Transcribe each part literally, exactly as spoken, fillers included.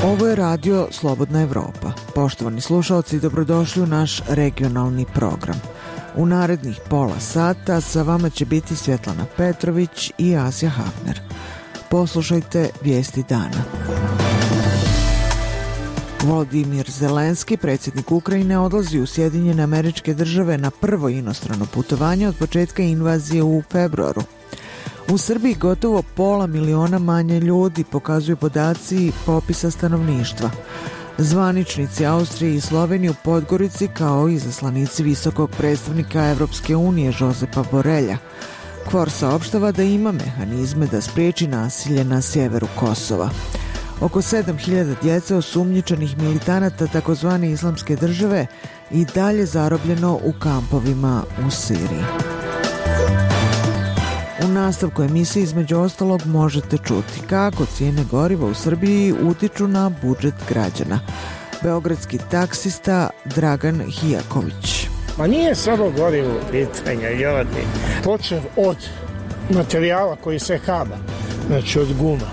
Ovo je radio Slobodna Evropa. Poštovani slušalci, dobrodošli u naš regionalni program. U narednih pola sata sa vama će biti Svjetlana Petrović i Asja Hafner. Poslušajte vijesti dana. Volodimir Zelenski, predsjednik Ukrajine, odlazi u Sjedinjene Američke Države na prvo inostrano putovanje od početka invazije u februaru. U Srbiji gotovo pola miliona manje ljudi, pokazuju podaci popisa stanovništva. Zvaničnici Austrije i Slovenije u Podgorici, kao i izaslanici visokog predstavnika Evropske unije Josepa Borrella. Kvor saopštava da ima mehanizme da spriječi nasilje na sjeveru Kosova. Oko sedam hiljada djece osumnjičenih militanata takozvane Islamske države i dalje zarobljeno u kampovima u Siriji. U nastavku emisije između ostalog možete čuti kako cijene goriva u Srbiji utiču na budžet građana. Beogradski taksista Dragan Hijaković. Ma nije samo gorivo pitanja, Jovani. Počev od materijala koji se haba, znači od guma,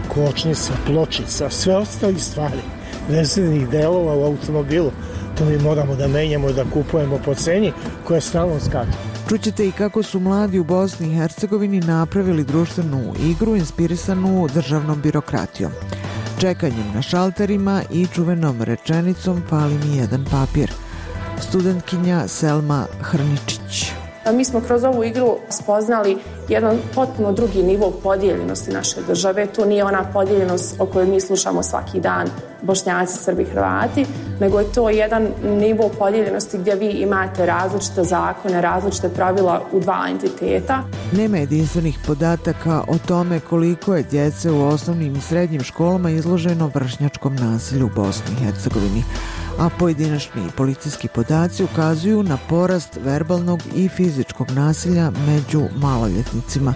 kočnica, pločica, sve ostali stvari, rezervnih delova u automobilu, to mi moramo da menjamo, da kupujemo po ceni koja stalno skače. Čućete i kako su mladi u Bosni i Hercegovini napravili društvenu igru inspirisanu državnom birokratijom. Čekanjem na šalterima i čuvenom rečenicom fali mi jedan papir. Studentkinja Selma Hrničić. Mi smo kroz ovu igru spoznali jedan potpuno drugi nivo podijeljenosti naše države. To nije ona podijeljenost o kojoj mi slušamo svaki dan, Bošnjaci, Srbi, Hrvati, nego je to jedan nivo podijeljenosti gdje vi imate različite zakone, različite pravila u dva entiteta. Nema jedinstvenih podataka o tome koliko je djece u osnovnim i srednjim školama izloženo vršnjačkom nasilju u Bosni i Hercegovini, a pojedinačni policijski podaci ukazuju na porast verbalnog i fizičkog nasilja među maloljetnicima.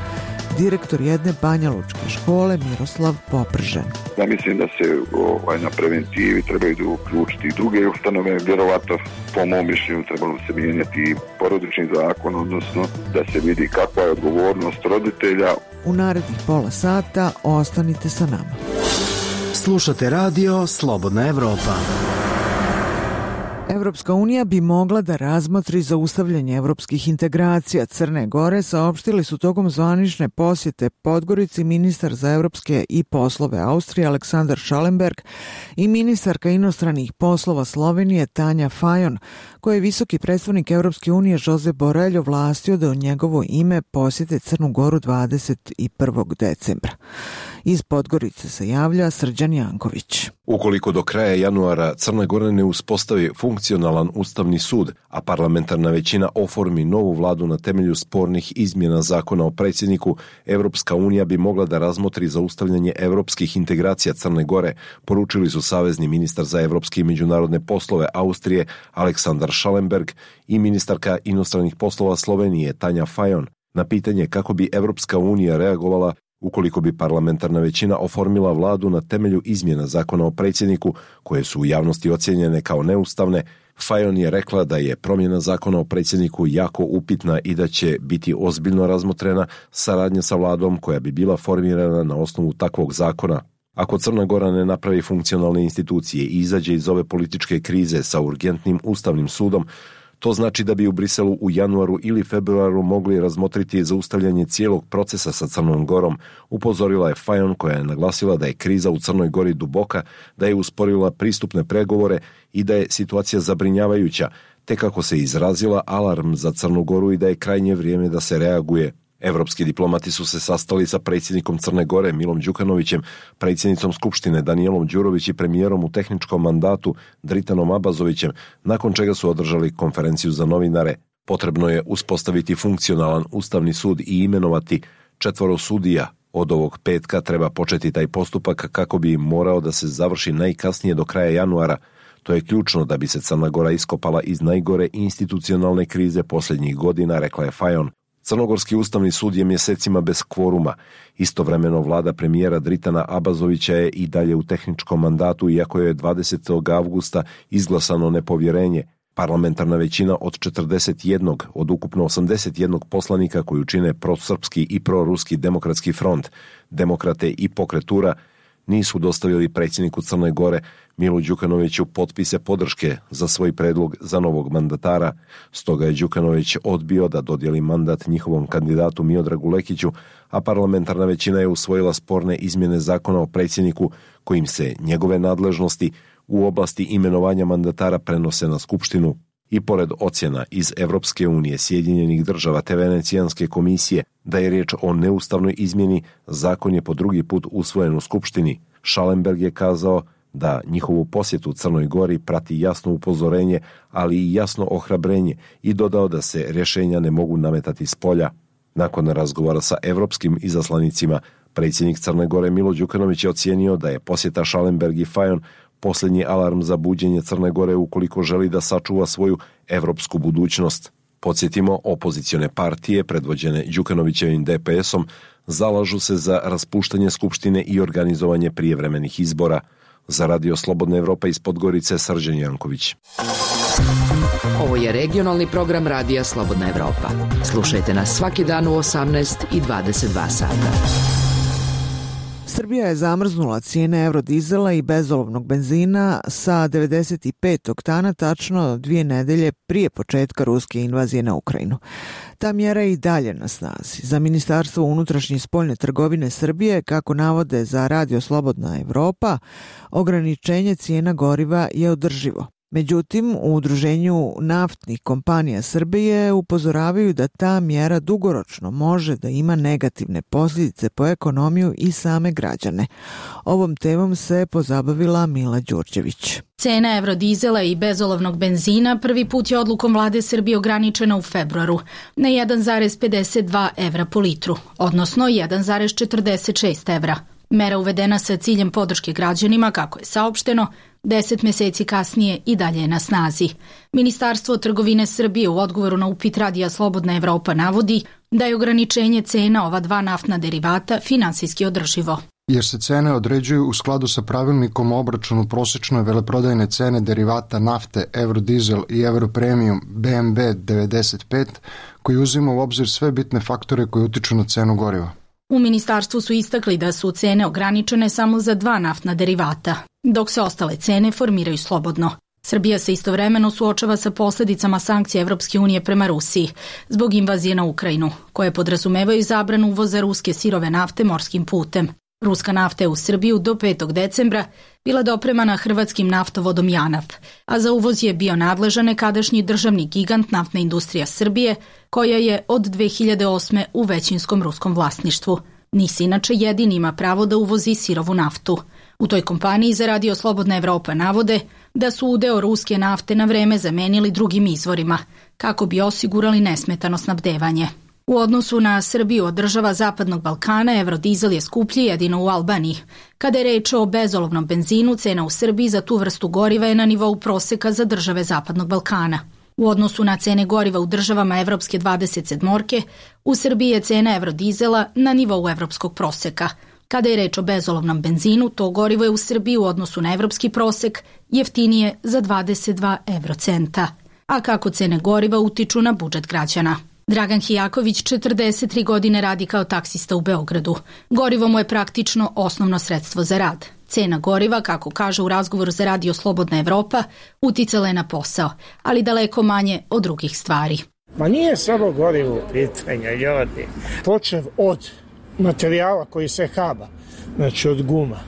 Direktor jedne banjalučke škole Miroslav Popržen. Ja mislim da se ovaj, na preventivi trebaju uključiti i druge ustanove, vjerovatno po mom mišljenju trebalo se mijenjati porodični zakon, odnosno da se vidi kakva je odgovornost roditelja. U narednih pola sata ostanite sa nama. Slušate radio Slobodna Evropa. Evropska unija bi mogla da razmotri zaustavljanje evropskih integracija Crne Gore, saopštili su tokom zvanične posjete Podgorici ministar za evropske i poslove Austrije Aleksandar Schallenberg i ministarka inostranih poslova Slovenije Tanja Fajon, koje je visoki predstavnik Evropske unije Josep Borrell ovlastio da u njegovo ime posjete Crnu Goru dvadeset prvog decembra. Iz Podgorice se javlja Srđan Janković. Ukoliko do kraja januara Crna Gora ne uspostavi funkcionalan ustavni sud, a parlamentarna većina oformi novu vladu na temelju spornih izmjena zakona o predsjedniku, Evropska unija bi mogla da razmotri zaustavljanje evropskih integracija Crne Gore, poručili su savezni ministar za evropske i međunarodne poslove Austrije Aleksandar Schallenberg i ministarka inostranih poslova Slovenije Tanja Fajon na pitanje kako bi Evropska unija reagovala ukoliko bi parlamentarna većina oformila vladu na temelju izmjena zakona o predsjedniku, koje su u javnosti ocijenjene kao neustavne. Fajon je rekla da je promjena zakona o predsjedniku jako upitna i da će biti ozbiljno razmotrena saradnja sa vladom koja bi bila formirana na osnovu takvog zakona. Ako Crna Gora ne napravi funkcionalne institucije i izađe iz ove političke krize sa urgentnim ustavnim sudom, to znači da bi u Briselu u januaru ili februaru mogli razmotriti zaustavljanje cijelog procesa sa Crnom Gorom, upozorila je Fajon, koja je naglasila da je kriza u Crnoj Gori duboka, da je usporila pristupne pregovore i da je situacija zabrinjavajuća, te kako se izrazila alarm za Crnu Goru i da je krajnje vrijeme da se reaguje. Evropski diplomati su se sastali sa predsjednikom Crne Gore Milom Đukanovićem, predsjednicom Skupštine Danijelom Đurović i premijerom u tehničkom mandatu Dritanom Abazovićem, nakon čega su održali konferenciju za novinare. Potrebno je uspostaviti funkcionalan ustavni sud i imenovati četvoro sudija. Od ovog petka treba početi taj postupak kako bi morao da se završi najkasnije do kraja januara. To je ključno da bi se Crna Gora iskopala iz najgore institucionalne krize posljednjih godina, rekla je Fajon. Crnogorski ustavni sud je mjesecima bez kvoruma. Istovremeno vlada premijera Dritana Abazovića je i dalje u tehničkom mandatu, iako je dvadesetog avgusta izglasano nepovjerenje. Parlamentarna većina od četrdeset jedan od ukupno osamdeset jedan poslanika koju čine prosrpski i proruski demokratski front, demokrate i pokretura, nisu dostavili predsjedniku Crne Gore Milu Đukanoviću potpise podrške za svoj predlog za novog mandatara. Stoga je Đukanović odbio da dodijeli mandat njihovom kandidatu Miodragu Lekiću, a parlamentarna većina je usvojila sporne izmjene zakona o predsjedniku kojim se njegove nadležnosti u oblasti imenovanja mandatara prenose na Skupštinu. I pored ocjena iz Evropske unije, Sjedinjenih država te Venecijanske komisije da je riječ o neustavnoj izmjeni, zakon je po drugi put usvojen u Skupštini. Schallenberg je kazao da njihovu posjetu Crnoj Gori prati jasno upozorenje, ali i jasno ohrabrenje i dodao da se rješenja ne mogu nametati s polja. Nakon razgovora sa evropskim izaslanicima, predsjednik Crne Gore Milo Đukanović je ocijenio da je posjeta Schallenberg i Fajon posljednji alarm za buđenje Crne Gore ukoliko želi da sačuva svoju evropsku budućnost. Podsjetimo, opozicione partije, predvođene Đukanovićevim D P S-om, zalažu se za raspuštanje Skupštine i organizovanje prijevremenih izbora. Za Radio Slobodna Evropa iz Podgorice, Srđan Janković. Ovo je regionalni program Radija Slobodna Evropa. Slušajte nas svaki dan u osamnaest i dvadeset dva sata. Srbija je zamrznula cijene eurodizela i bezolovnog benzina sa devedeset pet oktana tačno dvije nedelje prije početka ruske invazije na Ukrajinu. Ta mjera je i dalje na snazi. Za Ministarstvo unutrašnje i spoljne trgovine Srbije, kako navode za Radio Slobodna Evropa, ograničenje cijena goriva je održivo. Međutim, u Udruženju naftnih kompanija Srbije upozoravaju da ta mjera dugoročno može da ima negativne posljedice po ekonomiju i same građane. Ovom temom se pozabavila Mila Đurđević. Cena eurodizela i bezolovnog benzina prvi put je odlukom vlade Srbije ograničena u februaru na jedan zarez pedeset dva evra po litru, odnosno jedan zarez četrdeset šest evra. Mera uvedena sa ciljem podrške građanima, kako je saopšteno, deset mjeseci kasnije i dalje je na snazi. Ministarstvo trgovine Srbije u odgovoru na upit Radija Slobodna Evropa navodi da je ograničenje cena ova dva naftna derivata finansijski održivo. Jer se cene određuju u skladu sa pravilnikom o obračunu prosječne veleprodajne cene derivata nafte, eurodizel i europremium B M B devedeset pet, koji uzima u obzir sve bitne faktore koji utiču na cenu goriva. U ministarstvu su istakli da su cene ograničene samo za dva naftna derivata, dok se ostale cene formiraju slobodno. Srbija se istovremeno suočava sa posljedicama sankcija Evropske unije prema Rusiji zbog invazije na Ukrajinu, koje podrazumevaju zabranu uvoza ruske sirove nafte morskim putem. Ruska nafta je u Srbiju do petog decembra bila dopremana hrvatskim naftovodom JANAF, a za uvoz je bio nadležan nekadašnji državni gigant Naftna industrija Srbije, koja je od dve hiljade osme u većinskom ruskom vlasništvu. NIS inače jedini ima pravo da uvozi sirovu naftu. U toj kompaniji za Radio Slobodna Evropa navode da su udeo ruske nafte na vreme zamenili drugim izvorima, kako bi osigurali nesmetano snabdevanje. U odnosu na Srbiju od država Zapadnog Balkana, eurodizel je skuplji jedino u Albaniji. Kada je reč o bezolovnom benzinu, cena u Srbiji za tu vrstu goriva je na nivou proseka za države Zapadnog Balkana. U odnosu na cene goriva u državama Evropske dvadeset sedmorke, u Srbiji je cena eurodizela na nivou evropskog proseka. Kada je reč o bezolovnom benzinu, to gorivo je u Srbiji u odnosu na evropski prosek jeftinije za dvadeset dva evrocenta. A kako cene goriva utiču na budžet građana? Dragan Hijaković četrdeset tri godine radi kao taksista u Beogradu. Gorivo mu je praktično osnovno sredstvo za rad. Cena goriva, kako kaže u razgovoru za Radio Slobodna Evropa, uticala je na posao, ali daleko manje od drugih stvari. Ma nije samo gorivo pitanja, ljudi. Počev od materijala koji se haba, znači od guma,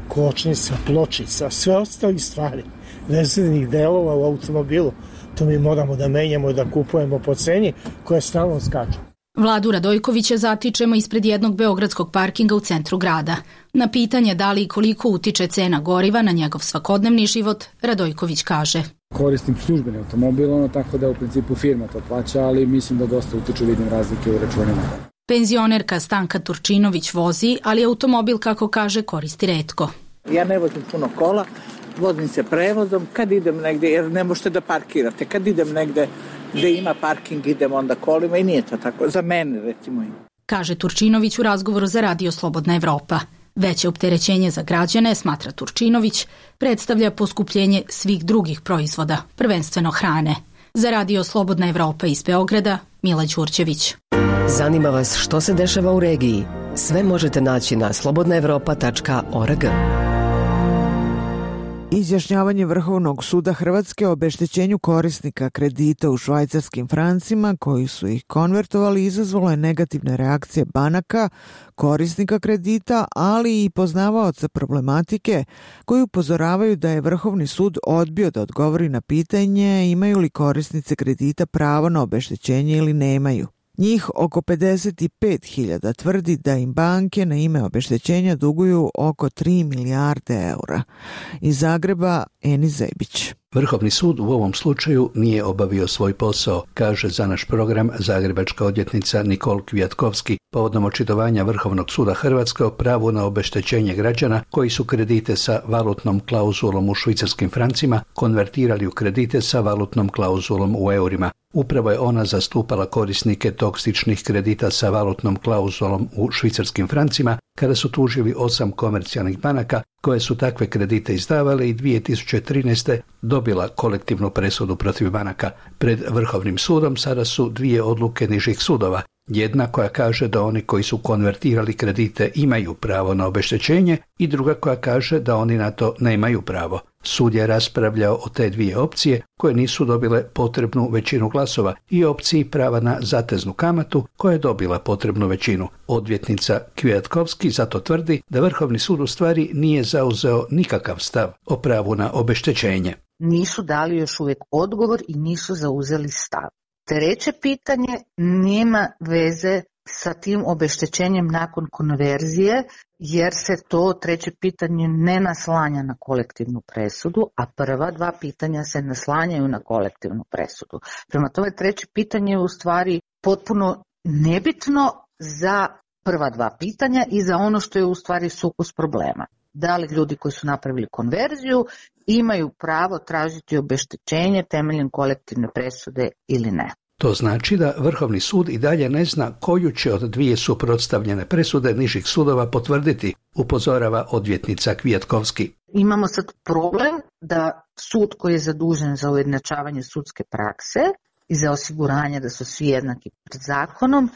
kočnica, pločica, sve ostali stvari, rezervnih delova u automobilu, to mi moramo da menjamo i da kupujemo po ceni koja stalno skače. Vladu Radojkovića zatičemo ispred jednog beogradskog parkinga u centru grada. Na pitanje da li i koliko utiče cena goriva na njegov svakodnevni život, Radojković kaže: Koristim službeni automobil, ono tako da u principu firma to plaća, ali mislim da dosta utiču, vidim razlike u računima. Penzionerka Stanka Turčinović vozi, ali automobil, kako kaže, koristi retko. Ja ne vozim puno kola, vozim se prevozom, kad idem negde, jer ne možete da parkirate, kad idem negde gde ima parking, idem onda kolima i nije to tako, za mene recimo. Kaže Turčinović u razgovoru za Radio Slobodna Evropa. Veće opterećenje za građane, smatra Turčinović, predstavlja poskupljenje svih drugih proizvoda, prvenstveno hrane. Za Radio Slobodna Evropa iz Beograda, Mila Đurđević. Zanima vas što se dešava u regiji? Sve možete naći na slobodna evropa tačka org. Izjašnjavanje Vrhovnog suda Hrvatske o obeštećenju korisnika kredita u švajcarskim francima koji su ih konvertovali izazvalo je negativne reakcije banaka, korisnika kredita, ali i poznavaoca problematike koji upozoravaju da je Vrhovni sud odbio da odgovori na pitanje imaju li korisnice kredita pravo na obeštećenje ili nemaju. Njih oko pedeset pet hiljada tvrdi da im banke na ime obeštećenja duguju oko tri milijarde eura. Iz Zagreba, Eni Zebić. Vrhovni sud u ovom slučaju nije obavio svoj posao, kaže za naš program zagrebačka odvjetnica Nikol Kvjatkovski povodom očitovanja Vrhovnog suda Hrvatske o pravu na obeštećenje građana koji su kredite sa valutnom klauzulom u švicarskim francima konvertirali u kredite sa valutnom klauzulom u eurima. Upravo je ona zastupala korisnike toksičnih kredita sa valutnom klauzulom u švicarskim francima kada su tužili osam komercijalnih banaka koje su takve kredite izdavale i dvije tisuće trinaeste. dobila kolektivnu presudu protiv banaka. Pred Vrhovnim sudom sada su dvije odluke nižih sudova. Jedna koja kaže da oni koji su konvertirali kredite imaju pravo na obeštećenje i druga koja kaže da oni na to nemaju pravo. Sud je raspravljao o te dvije opcije koje nisu dobile potrebnu većinu glasova i opciji prava na zateznu kamatu koja je dobila potrebnu većinu. Odvjetnica Kvjatkovski zato tvrdi da Vrhovni sud u stvari nije zauzeo nikakav stav o pravu na obeštećenje. Nisu dali još uvijek odgovor i nisu zauzeli stav. Treće pitanje nema veze sa tim obeštećenjem nakon konverzije, jer se to treće pitanje ne naslanja na kolektivnu presudu, a prva dva pitanja se naslanjaju na kolektivnu presudu. Prema tome, treće pitanje je u stvari potpuno nebitno za prva dva pitanja i za ono što je u stvari sukus problema. Da li ljudi koji su napravili konverziju imaju pravo tražiti obeštećenje temeljem kolektivne presude ili ne. To znači da Vrhovni sud i dalje ne zna koju će od dvije suprotstavljene presude nižih sudova potvrditi, upozorava odvjetnica Kvjatkovski. Imamo sad problem da sud koji je zadužen za ujednačavanje sudske prakse i za osiguranje da su svi jednaki pred zakonom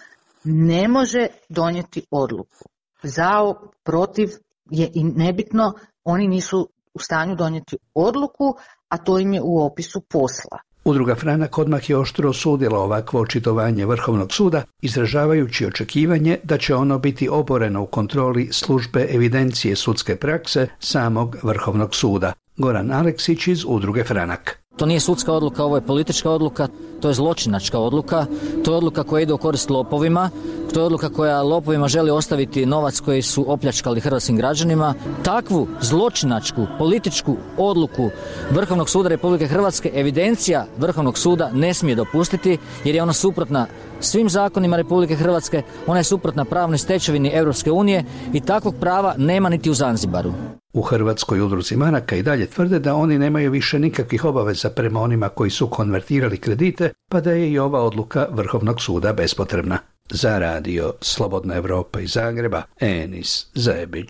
ne može donijeti odluku. Za, protiv je i nebitno, oni nisu u stanju donijeti odluku, a to im je u opisu posla. Udruga Franak odmah je oštro osudila ovakvo očitovanje Vrhovnog suda, izražavajući očekivanje da će ono biti oboreno u kontroli službe evidencije sudske prakse samog Vrhovnog suda. Goran Aleksić iz Udruge Franak. To nije sudska odluka, ovo je politička odluka, to je zločinačka odluka, to je odluka koja ide u korist lopovima, to je odluka koja lopovima želi ostaviti novac koji su opljačkali hrvatskim građanima. Takvu zločinačku političku odluku Vrhovnog suda Republike Hrvatske evidencija Vrhovnog suda ne smije dopustiti jer je ona suprotna svim zakonima Republike Hrvatske, ona je suprotna pravnoj stečevini Europske unije i takvog prava nema niti u Zanzibaru. U Hrvatskoj udruzi banaka i dalje tvrde da oni nemaju više nikakvih obaveza prema onima koji su konvertirali kredite, pa da je i ova odluka Vrhovnog suda bespotrebna. Za radio Slobodna Evropa iz Zagreba, Enis Zebić.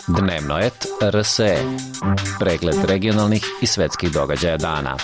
Dnevnoet R S E. Pregled regionalnih i svetskih događaja dana.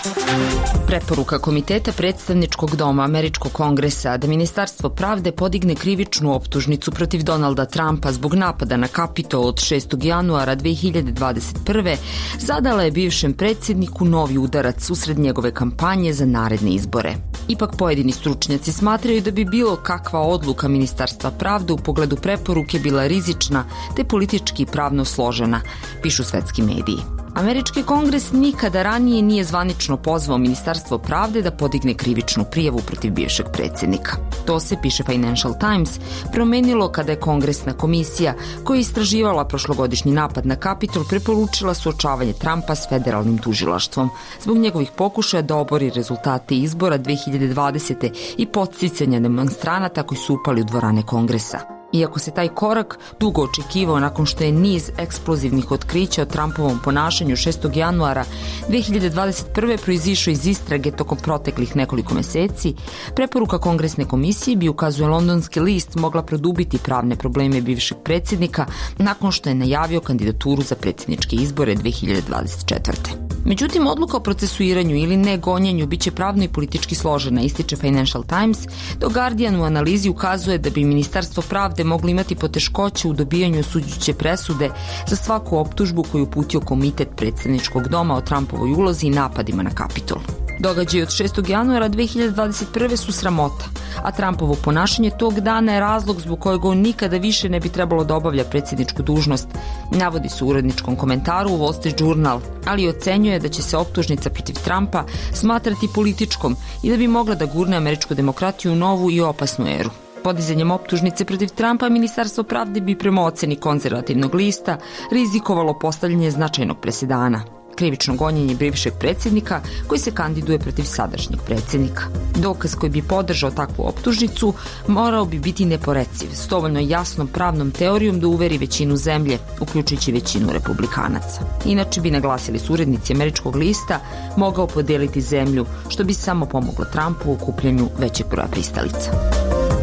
Preporuka Komiteta predstavničkog doma Američkog kongresa da Ministarstvo pravde podigne krivičnu optužnicu protiv Donalda Trumpa zbog napada na Kapitol od šestog januara dve hiljade dvadeset prve. zadala je bivšem predsjedniku novi udarac usred njegove kampanje za naredne izbore. Ipak pojedini stručnjaci smatraju da bi bilo kakva odluka Ministarstva pravde u pogledu preporuke bila rizična te politički i pravno složena, pišu svetski mediji. Američki kongres nikada ranije nije zvanično pozvao Ministarstvo pravde da podigne krivičnu prijavu protiv bivšeg predsjednika. To se, piše Financial Times, promenilo kada je Kongresna komisija koja je istraživala prošlogodišnji napad na Kapitol preporučila suočavanje Trumpa s federalnim tužilaštvom zbog njegovih pokušaja da obori rezultate izbora dve hiljade dvadesete. i podsticanja demonstranata koji su upali u dvorane Kongresa. Iako se taj korak dugo očekivao nakon što je niz eksplozivnih otkrića o Trumpovom ponašanju šestog januara dve hiljade dvadeset prve. proizišao iz istrage tokom proteklih nekoliko meseci, preporuka Kongresne komisije bi, ukazuje londonski list, mogla produbiti pravne probleme bivšeg predsjednika nakon što je najavio kandidaturu za predsjedničke izbore dve hiljade dvadeset četvrte. Međutim, odluka o procesuiranju ili ne gonjenju biće pravno i politički složena, ističe Financial Times, dok Guardian u analizi ukazuje da bi Ministarstvo pravde moglo imati poteškoće u dobijanju osuđujuće presude za svaku optužbu koju uputio Komitet predsjedničkog doma o Trumpovoj ulozi i napadima na Kapitol. Događaji od šestog januara dve hiljade dvadeset prve su sramota, a Trumpovo ponašanje tog dana je razlog zbog kojeg on nikada više ne bi trebalo da obavlja predsjedničku dužnost, navodi se u uredničkom komentaru u Wall Street Journal, ali ocenjuje da će se optužnica protiv Trumpa smatrati političkom i da bi mogla da gurne američku demokratiju u novu i opasnu eru. Podizanjem optužnice protiv Trumpa, Ministarstvo pravde bi prema oceni konzervativnog lista rizikovalo postavljanje značajnog presedana. Krivično gonjenje bivšeg predsjednika koji se kandiduje protiv sadašnjeg predsjednika. Dokaz koji bi podržao takvu optužnicu morao bi biti neporeciv, s dovoljno jasnom pravnom teorijom da uveri većinu zemlje, uključujući većinu republikanaca. Inače bi, naglasili su urednici američkog lista, mogao podijeliti zemlju, što bi samo pomoglo Trumpu u okupljanju većeg broja pristalica.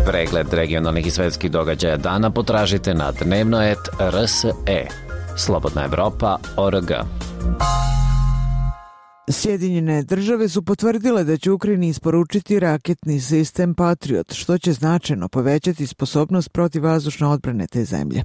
Pregled regionalnih i svetskih događaja dana potražite na dnevno et er es e. Slobodna Evropa точка org. Sjedinjene države su potvrdile da će Ukrajini isporučiti raketni sistem Patriot, što će značajno povećati sposobnost protivvazdušne odbrane te zemlje.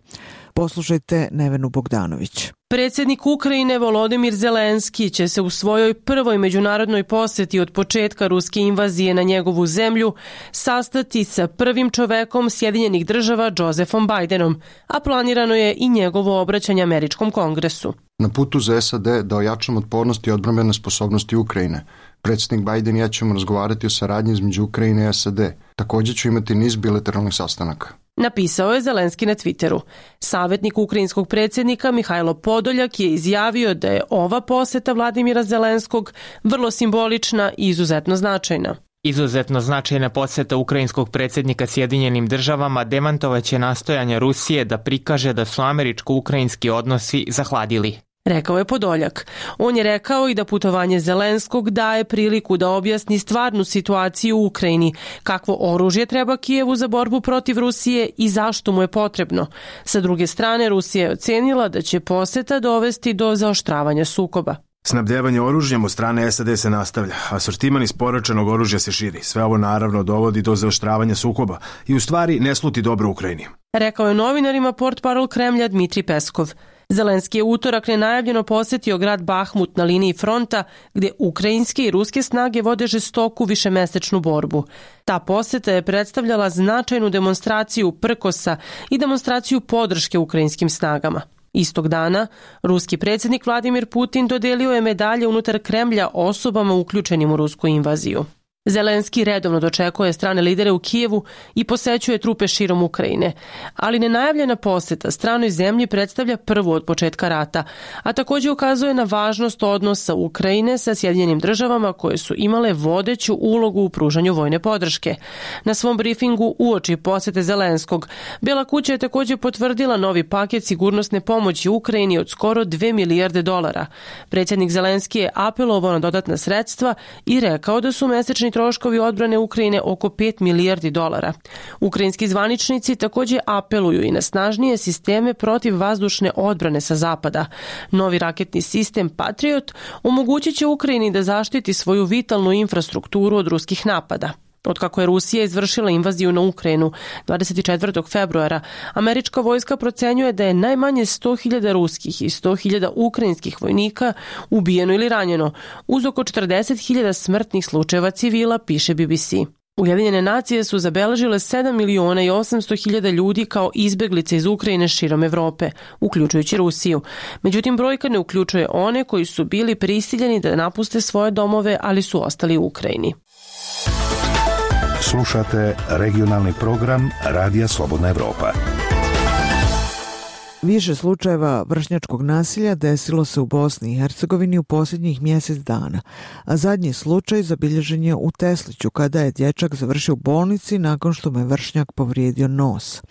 Poslušajte Nevenu Bogdanović. Predsjednik Ukrajine Volodimir Zelenski će se u svojoj prvoj međunarodnoj posjeti od početka ruske invazije na njegovu zemlju sastati sa prvim čovekom Sjedinjenih država Josephom Bidenom, a planirano je i njegovo obraćanje američkom kongresu. Na putu za es a de da ojačamo otpornost i odbrambene sposobnosti Ukrajine. Predsjednik Biden i ja ćemo razgovarati o saradnji između Ukrajine i es a de. Također ću imati niz bilateralnih sastanaka. Napisao je Zelenski na Twitteru. Savjetnik ukrajinskog predsjednika Mihajlo Podoljak je izjavio da je ova posjeta Vladimira Zelenskog vrlo simbolična i izuzetno značajna. Izuzetno značajna posjeta ukrajinskog predsjednika Sjedinjenim državama demantovaće nastojanja Rusije da prikaže da su američko-ukrajinski odnosi zahladili. Rekao je Podoljak. On je rekao i da putovanje Zelenskog daje priliku da objasni stvarnu situaciju u Ukrajini, kakvo oružje treba Kijevu za borbu protiv Rusije i zašto mu je potrebno. Sa druge strane, Rusija je ocenila da će posjeta dovesti do zaoštravanja sukoba. Snabdjevanje oružjem od strane es a de se nastavlja, a sortiman isporučenog oružja se širi. Sve ovo naravno dovodi do zaoštravanja sukoba i u stvari ne sluti dobro Ukrajini. Rekao je novinarima portparol Kremlja Dmitrij Peskov. Zelenski je utorak nenajavljeno posjetio grad Bahmut na liniji fronta, gdje ukrajinske i ruske snage vode žestoku višemesečnu borbu. Ta posjeta je predstavljala značajnu demonstraciju prkosa i demonstraciju podrške ukrajinskim snagama. Istog dana, ruski predsjednik Vladimir Putin dodelio je medalje unutar Kremlja osobama uključenim u rusku invaziju. Zelenski redovno dočekuje strane lidere u Kijevu i posećuje trupe širom Ukrajine, ali nenajavljena posjeta stranoj zemlji predstavlja prvu od početka rata, a također ukazuje na važnost odnosa Ukrajine sa Sjedinjenim državama koje su imale vodeću ulogu u pružanju vojne podrške. Na svom brifingu uoči posjete Zelenskog, Bijela kuća je također potvrdila novi paket sigurnosne pomoći Ukrajini od skoro dve milijarde dolara. Predsjednik Zelenski je apelovao na dodatna sredstva i rekao da su mesečni troškovi odbrane Ukrajine oko pet milijardi dolara. Ukrajinski zvaničnici također apeluju i na snažnije sisteme protiv vazdušne odbrane sa zapada. Novi raketni sistem Patriot omogućit će Ukrajini da zaštiti svoju vitalnu infrastrukturu od ruskih napada. Otkako je Rusija izvršila invaziju na Ukrajinu dvadeset četvrtog februara, američka vojska procenjuje da je najmanje sto hiljada ruskih i sto hiljada ukrajinskih vojnika ubijeno ili ranjeno, uz oko četrdeset hiljada smrtnih slučajeva civila, piše B B C. Ujedinjene nacije su zabeležile sedam miliona i osamsto hiljada ljudi kao izbeglice iz Ukrajine širom Evrope, uključujući Rusiju. Međutim, brojka ne uključuje one koji su bili prisiljeni da napuste svoje domove, ali su ostali u Ukrajini. Slušate regionalni program Radija Slobodna Evropa. Više slučajeva vršnjačkog nasilja desilo se u Bosni i Hercegovini u posljednjih mjesec dana, a zadnji slučaj zabilježen je u Tesliću kada je dječak završio u bolnici nakon što mu je vršnjak povrijedio nos.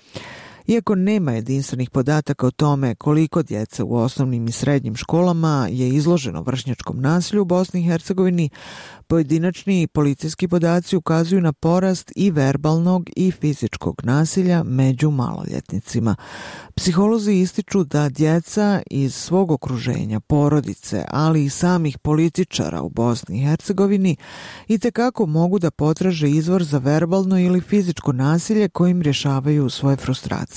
Iako nema jedinstvenih podataka o tome koliko djece u osnovnim i srednjim školama je izloženo vršnjačkom nasilju u Bosni i Hercegovini, pojedinačni policijski podaci ukazuju na porast i verbalnog i fizičkog nasilja među maloljetnicima. Psiholozi ističu da djeca iz svog okruženja, porodice, ali i samih političara u Bosni i Hercegovini itekako mogu da potraže izvor za verbalno ili fizičko nasilje kojim rješavaju svoje frustracije.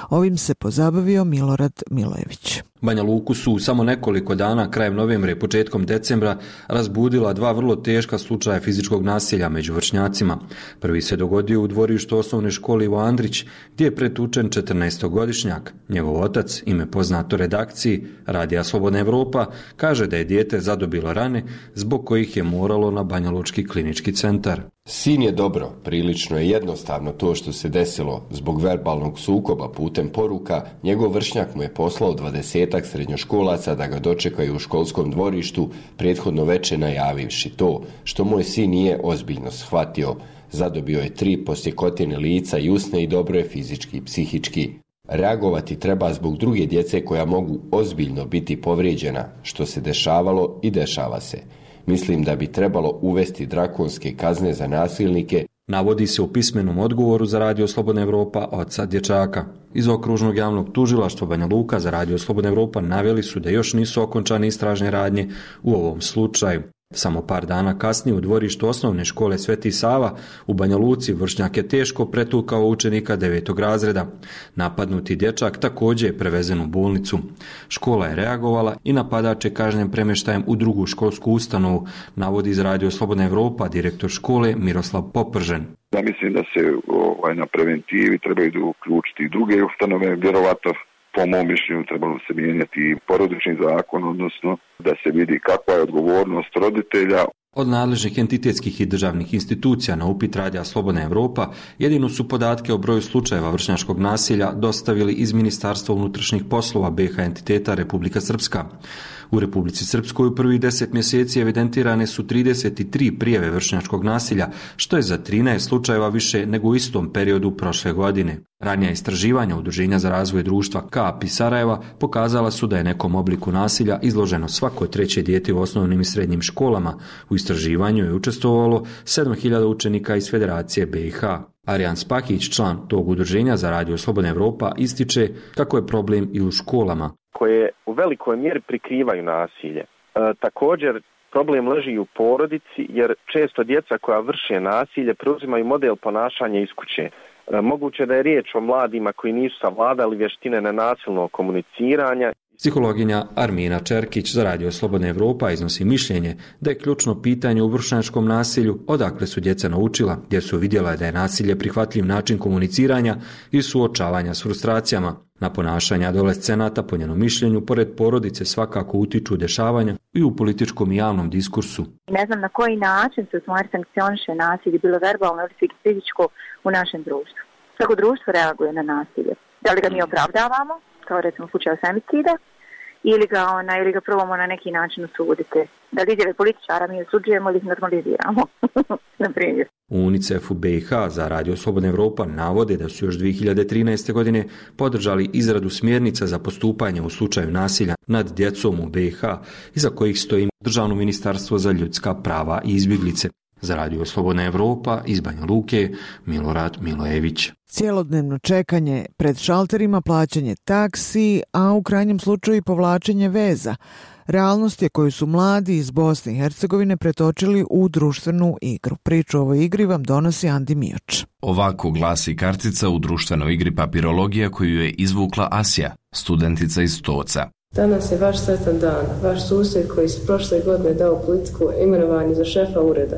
Ovim se pozabavio Milorad Milojević. Banja Luku su samo nekoliko dana krajem novembra i početkom decembra razbudila dva vrlo teška slučaja fizičkog nasilja među vršnjacima. Prvi se dogodio u dvorištu osnovne škole Ivo Andrić, gdje je pretučen četrnaestogodišnjak. Njegov otac, ime poznato redakciji Radija Slobodna Evropa, kaže da je dijete zadobilo rane zbog kojih je moralo na Banjalučki klinički centar. Sin je dobro, prilično je jednostavno to što se desilo. Zbog verbalnog sukoba putem poruka, njegov vršnjak mu je poslao dvadesetak srednjoškolaca da ga dočekaju u školskom dvorištu, prethodno veče najavivši to što moj sin nije ozbiljno shvatio. Zadobio je tri posjekotine lica i usne i dobro je fizički i psihički. Reagovati treba zbog druge djece koja mogu ozbiljno biti povrijeđena, što se dešavalo i dešava se. Mislim da bi trebalo uvesti drakonske kazne za nasilnike, navodi se u pismenom odgovoru za Radio Slobodna Evropa oca dječaka. Iz okružnog javnog tužilaštva Banja Luka za Radio Slobodna Evropa naveli su da još nisu okončane istražne radnje u ovom slučaju. Samo par dana kasnije u dvorištu osnovne škole Sveti Sava u Banja Luci vršnjak je teško pretukao učenika devetog razreda. Napadnuti dječak također je prevezen u bolnicu. Škola je reagovala i napadač je kažnjen premještajem u drugu školsku ustanovu, navodi iz Radio Slobodna Evropa direktor škole Miroslav Popržen. Ja mislim da se ovaj, na preventivi trebaju uključiti i druge ustanove, vjerovatno po mom mišljenju trebalo se mijenjati porodični zakon, odnosno da se vidi kakva je odgovornost roditelja. Od nadležnih entitetskih i državnih institucija na upit Radija Slobodna Evropa jedino su podatke o broju slučajeva vršnjačkog nasilja dostavili iz Ministarstva unutrašnjih poslova B H entiteta Republika Srpska. U Republici Srpskoj u prvih deset mjeseci evidentirane su trideset tri prijave vršnjačkog nasilja, što je za trinaest slučajeva više nego u istom periodu prošle godine. Ranija istraživanja Udruženja za razvoj društva K A P i Sarajeva pokazala su da je nekom obliku nasilja izloženo svako treće dijete u osnovnim i srednjim školama. U istraživanju je učestvovalo sedam hiljada učenika iz Federacije B i H. Arijan Spahić, član tog udruženja za Radio Slobodna Evropa, ističe kako je problem i u školama, koje u velikoj mjeri prikrivaju nasilje. E, također, problem leži i u porodici, jer često djeca koja vrše nasilje preuzimaju model ponašanja iz kuće. E, moguće da je riječ o mladima koji nisu savladali vještine nenasilnog komuniciranja. Psihologinja Armina Čerkić za Radio Slobodna Evropa iznosi mišljenje da je ključno pitanje u vršnjačkom nasilju odakle su djeca naučila, gdje su vidjela da je nasilje prihvatljiv način komuniciranja i suočavanja s frustracijama. Na ponašanje adolescenata, po njenom mišljenju, pored porodice svakako utiču dešavanja i u političkom i javnom diskursu. Ne znam na koji način se u stvari sankcioniše nasilje, bilo verbalno ili fizičko, u našem društvu. Kako društvo reaguje na nasilje? Da li ga mi opravdavamo, kao recimo u slučaju femicida, ili ga, ona, ili ga probamo na neki način osuditi? Da li izjave političara mi osuđujemo ili ih normaliziramo, na primjer. U UNICEF-u B i H za Radio Slobodna Evropa navode da su još dvije hiljade trinaeste. godine podržali izradu smjernica za postupanje u slučaju nasilja nad djecom u B i H, iza kojih stoji Državno ministarstvo za ljudska prava i izbjeglice. Za Radio Slobodna Evropa iz Banja Luke, Milorad Milojević. Cijelodnevno čekanje pred šalterima, plaćanje taksi, a u krajnjem slučaju i povlačenje veza. Realnost je koju su mladi iz Bosne i Hercegovine pretočili u društvenu igru. Priču o ovoj igri vam donosi Andi Mioč. Ovako glasi kartica u društvenoj igri papirologija koju je izvukla Asja, studentica iz Stoca. Danas je vaš sretan dan. Vaš susjed koji s prošle godine dao politiku imenovanje za šefa ureda.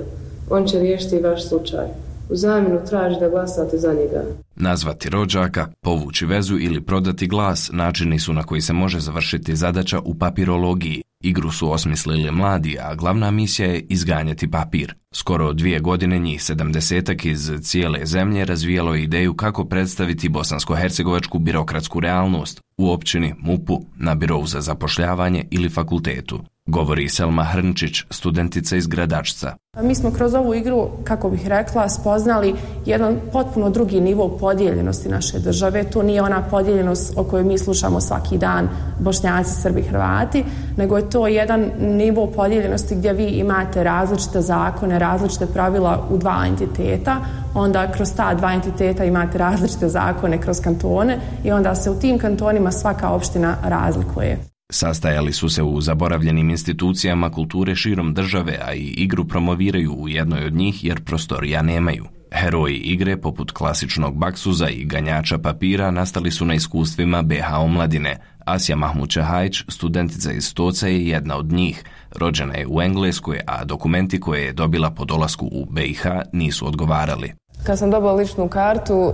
On će riješiti vaš slučaj. U zamjenu traži da glasate za njega. Nazvati rođaka, povući vezu ili prodati glas načini su na koji se može završiti zadaća u papirologiji. Igru su osmislili mladi, a glavna misija je izganjati papir. Skoro dvije godine njih sedamdesetak iz cijele zemlje razvijalo ideju kako predstaviti bosansko-hercegovačku birokratsku realnost u općini, M U P-u, na birovu za zapošljavanje ili fakultetu. govori Selma Hrnčić, studentica iz Gradačca. Mi smo kroz ovu igru, kako bih rekla, spoznali jedan potpuno drugi nivo podijeljenosti naše države. To nije ona podijeljenost o kojoj mi slušamo svaki dan, Bošnjaci, Srbi, Hrvati, nego je to jedan nivo podijeljenosti gdje vi imate različite zakone, različite pravila u dva entiteta, onda kroz ta dva entiteta imate različite zakone kroz kantone i onda se u tim kantonima svaka opština razlikuje. Sastajali su se u zaboravljenim institucijama kulture širom države, a i igru promoviraju u jednoj od njih jer prostorija nemaju. Heroji igre, poput klasičnog baksuza i ganjača papira, nastali su na iskustvima be ha omladine. Asja Mahmud-Čahajić, studentica iz Stoca, je jedna od njih. Rođena je u Engleskoj, a dokumenti koje je dobila po dolasku u be i ha nisu odgovarali. Kad sam dobila ličnu kartu,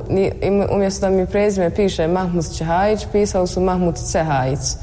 umjesto da mi prezime piše Mahmud-Čahajić, pisali su Mahmud-Cehajić.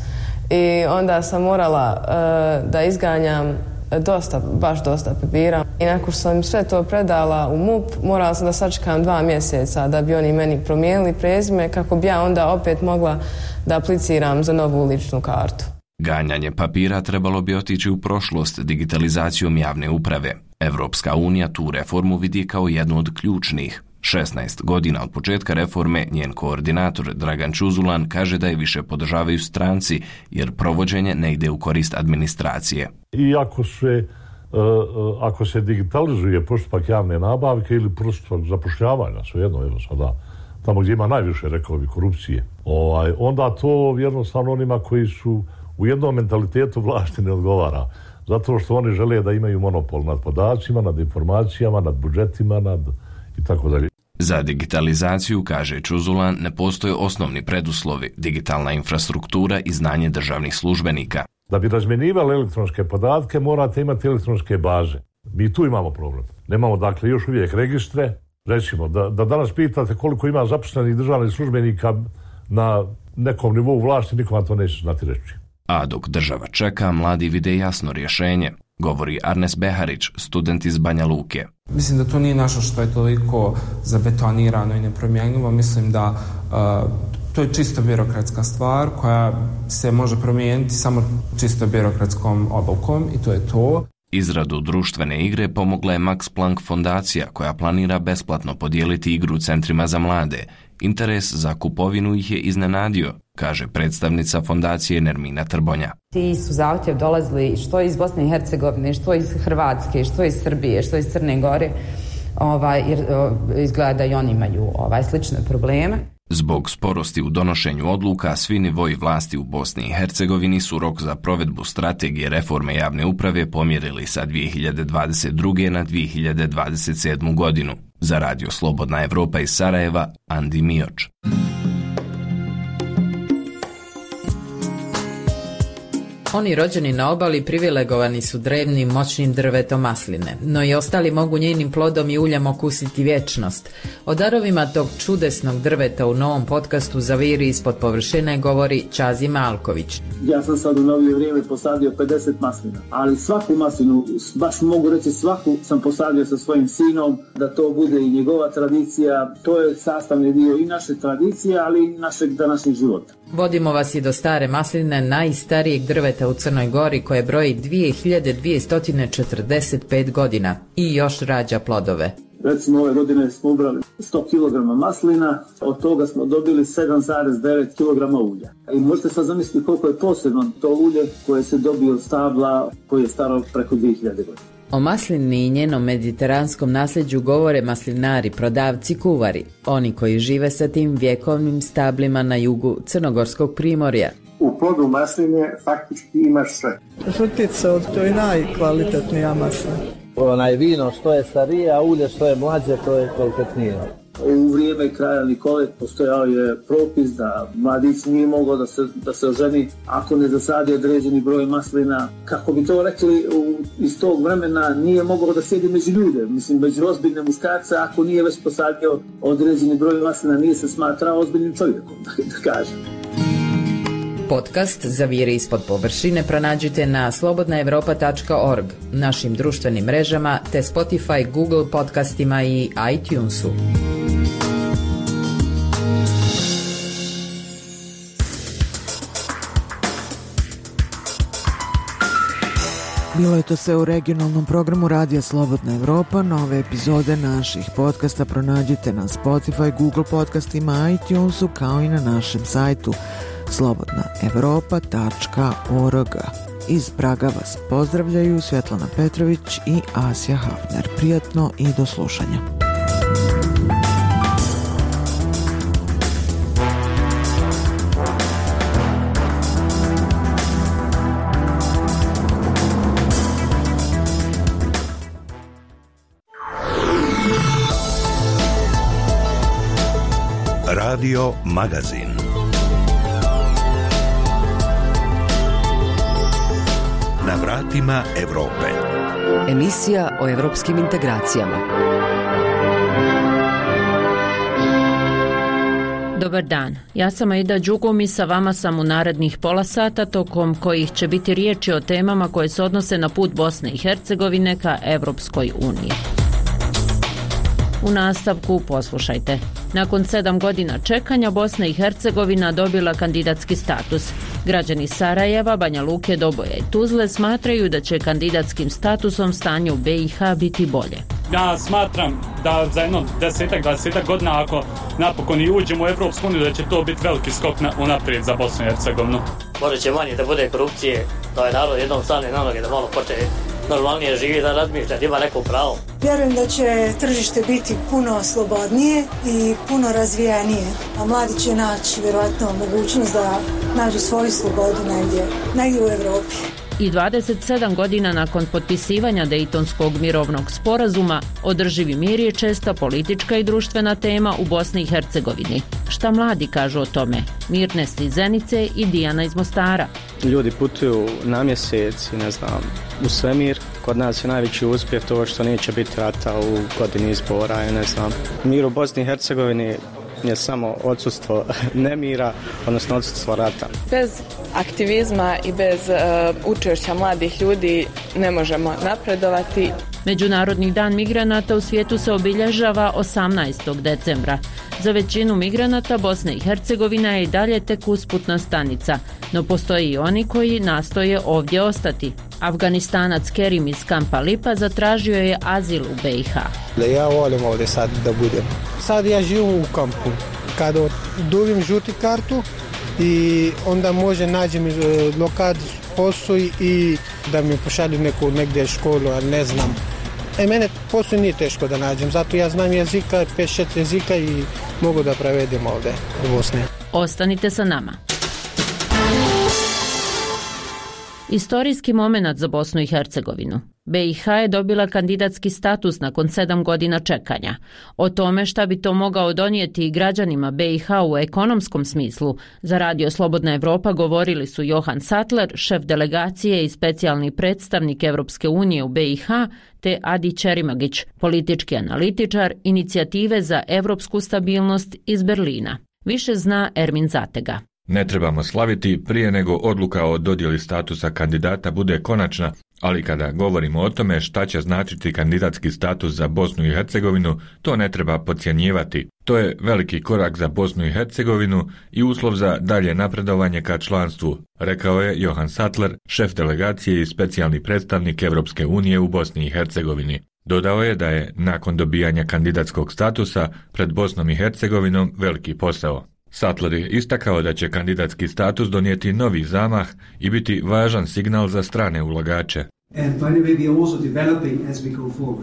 I onda sam morala uh, da izganjam dosta, baš dosta papira. I nakon što sam sve to predala u MUP, morala sam da sačekam dva mjeseca da bi oni meni promijenili prezime kako bi ja onda opet mogla da apliciram za novu ličnu kartu. Ganjanje papira trebalo bi otići u prošlost digitalizacijom javne uprave. Evropska unija tu reformu vidi kao jednu od ključnih. šesnaest godina od početka reforme njen koordinator Dragan Čuzulan kaže da je više podržavaju stranci jer provođenje ne ide u korist administracije. I ako se, ako se digitalizuje postupak javne nabavke ili postupak zapošljavanja, svejedno evo sada, tamo gdje ima najviše, rekao bi, korupcije, ovaj, onda to jednostavno onima koji su u jednom mentalitetu vlasti ne odgovara. Zato što oni žele da imaju monopol nad podacima, nad informacijama, nad budžetima, nad i tako dalje. Za digitalizaciju, kaže Čuzulan, ne postoje osnovni preduslovi, digitalna infrastruktura i znanje državnih službenika. Da bi razmjenjivali elektronske podatke, morate imati elektronske baze. Mi tu imamo problem. Nemamo, dakle, još uvijek registre. Recimo, da, da danas pitate koliko ima zaposlenih državnih službenika na nekom nivou vlasti, nikom vam to neće znati reći. A dok država čeka, mladi vide jasno rješenje, govori Arnes Beharić, student iz Banja Luke. Mislim da to nije nešto što je toliko zabetonirano i nepromjenjivo. Mislim da uh, to je čisto birokratska stvar koja se može promijeniti samo čisto birokratskom obavkom i to je to. Izradu društvene igre pomogla je Max Planck fondacija koja planira besplatno podijeliti igru centrima za mlade. Interes za kupovinu ih je iznenadio, kaže predstavnica fondacije Nermina Trbonja. Ti su zahtjev dolazili što iz Bosne i Hercegovine, što iz Hrvatske, što iz Srbije, što iz Crne Gore, ovaj, jer izgleda da i oni imaju ovaj, slične probleme. Zbog sporosti u donošenju odluka, svi nivoji vlasti u Bosni i Hercegovini su rok za provedbu strategije reforme javne uprave pomjerili sa dvije hiljade dvadeset druge. na dvije hiljade dvadeset sedmu. godinu. Za Radio Slobodna Evropa iz Sarajeva, Andi Mioč. Oni rođeni na obali privilegovani su drevnim moćnim drvetom masline, no i ostali mogu njenim plodom i uljem okusiti vječnost. O darovima tog čudesnog drveta u novom podcastu Zaviri ispod površine govori Čazi Malković. Ja sam sad u novije vrijeme posadio pedeset maslina, ali svaku maslinu, baš mogu reći svaku, sam posadio sa svojim sinom, da to bude i njegova tradicija. To je sastavni dio i naše tradicije, ali i našeg današnjeg života. Vodimo vas i do stare masline, najstarijeg drveta u Crnoj Gori, koje broji dvije hiljade dvjesto četrdeset pet godina i još rađa plodove. Recimo ove godine smo ubrali sto kilograma maslina, od toga smo dobili sedam zarez devet kilograma ulja. I možete sad zamisliti koliko je posebno to ulje koje se dobije od stabla koje je staro preko dvije hiljade godina. O maslini i njenom mediteranskom nasljeđu govore maslinari, prodavci, kuvari, oni koji žive sa tim vjekovnim stablima na jugu Crnogorskog primorja. U plodu masline faktički imaš sve. Žutica, to je najkvalitetnija maslina. Onaj vino što je starije, a ulje što je mlađe, to je kvalitetnije. U vrijeme kralja Nikole postojao je propis da mladić nije mogao da se, da se oženi ako ne zasadi određeni broj maslina. Kako bi to rekli, u, iz tog vremena nije mogao da sjedi među ljude, mislim među ozbiljne muškarce, ako nije već posadio određeni broj maslina, nije se smatrao ozbiljnim čovjekom, da, da kažem. Podcast Zaviri ispod površine pronađite na slobodna evropa tačka org, našim društvenim mrežama te Spotify, Google podcastima i iTunesu. Bilo je to sve u regionalnom programu Radija Slobodna Evropa. Nove epizode naših podcasta pronađite na Spotify, Google podcastima, iTunesu, kao i na našem sajtu slobodna evropa tačka org. Iz Praga vas pozdravljaju Svetlana Petrović i Asja Hafner. Prijatno i do slušanja. Radio Magazin. Na vratima Evrope. Emisija o evropskim integracijama. Dobar dan, ja sam Aida Đugum i sa vama sam u narednih pola sata, tokom kojih će biti riječi o temama koje se odnose na put Bosne i Hercegovine ka Evropskoj uniji. U nastavku poslušajte. Nakon sedam godina čekanja Bosna i Hercegovina dobila kandidatski status. Građani Sarajeva, Banja Luke, Doboja i Tuzle smatraju da će kandidatskim statusom stanje u B i H biti bolje. Ja smatram da za jedno desetak, dvadesetak godina ako napokon i uđemo u Evropsku uniju da će to biti veliki skok na, unaprijed za Bosnu i Hercegovinu. Možda će manje da bude korupcije, da je narod jednom stane na noge, da malo počne normalnije živi, da razmišlja, da ima neko pravo. Vjerujem da će tržište biti puno slobodnije i puno razvijenije, a mladi će naći vjerojatno mogućnost da nađu svoju slobodu negdje, negdje u Evropi. I dvadeset sedam godina nakon potpisivanja Dejtonskog mirovnog sporazuma, održivi mir je česta politička i društvena tema u Bosni i Hercegovini. Šta mladi kažu o tome? Mirnes iz Zenice i Dijana iz Mostara. Ljudi putuju na mjesec, ne znam, u svemir. Kod nas je najveći uspjeh to što neće biti rata u godini izbora, ne znam. Mir u Bosni i Hercegovini je samo odsustvo nemira, odnosno odsustvo rata. Bez aktivizma i bez uh, učešća mladih ljudi ne možemo napredovati. Međunarodni dan migranata u svijetu se obilježava osamnaestog decembra. Za većinu migranata Bosna i Hercegovina je i dalje tek usputna stanica, no postoji i oni koji nastoje ovdje ostati. Afganistanac Kerim iz kampa Lipa zatražio je azil u B i H. Ja volim ovdje sad da budem. Sad ja živim u kampu. Kada dobim žuti kartu i onda može nađem lokad posao i da mi pošalju neku negdje školu, ali ne znam. E, mene posao nije teško da nađem, zato ja znam jezika, pet šest jezika i mogu da prevedem ovdje u Bosni. Ostanite sa nama. Istorijski momenat za Bosnu i Hercegovinu. B i H je dobila kandidatski status nakon sedam godina čekanja. O tome šta bi to mogao donijeti i građanima B i H u ekonomskom smislu, za Radio Slobodna Evropa govorili su Johan Sattler, šef delegacije i specijalni predstavnik Evropske unije u B i H, te Adi Čerimagić, politički analitičar Inicijative za evropsku stabilnost iz Berlina. Više zna Ermin Zatega. Ne trebamo slaviti prije nego odluka o dodjeli statusa kandidata bude konačna, ali kada govorimo o tome šta će značiti kandidatski status za Bosnu i Hercegovinu, to ne treba podcjenjivati. To je veliki korak za Bosnu i Hercegovinu i uslov za dalje napredovanje ka članstvu, rekao je Johan Sattler, šef delegacije i specijalni predstavnik Evropske unije u Bosni i Hercegovini. Dodao je da je nakon dobijanja kandidatskog statusa pred Bosnom i Hercegovinom veliki posao. Sattler je istakao da će kandidatski status donijeti novi zamah i biti važan signal za strane ulagače.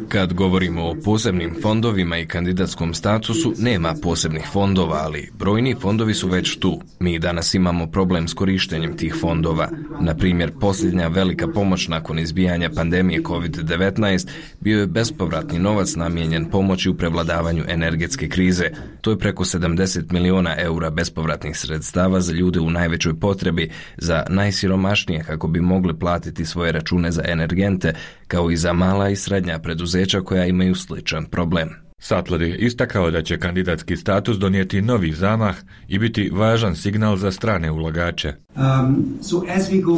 Kad govorimo o posebnim fondovima i kandidatskom statusu, nema posebnih fondova, ali brojni fondovi su već tu. Mi danas imamo problem s korištenjem tih fondova. Na primjer, posljednja velika pomoć nakon izbijanja pandemije kovid devetnaest bio je bespovratni novac namijenjen pomoći u prevladavanju energetske krize. To je preko sedamdeset miliona eura bespovratnih sredstava za ljude u najvećoj potrebi, za najsiromašnije kako bi mogli platiti svoje račune za energente, kao i za mala i srednja preduzeća koja imaju sličan problem. Sattler je istakao da će kandidatski status donijeti novi zamah i biti važan signal za strane ulagače.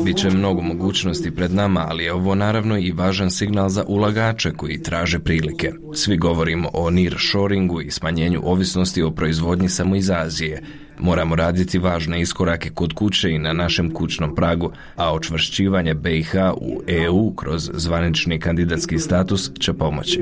Biće mnogo mogućnosti pred nama, ali je ovo naravno i važan signal za ulagače koji traže prilike. Svi govorimo o nearshoringu i smanjenju ovisnosti o proizvodnji samo iz Azije. Moramo raditi važne iskorake kod kuće i na našem kućnom pragu, a očvršćivanje B i H u E U kroz zvanični kandidatski status će pomoći.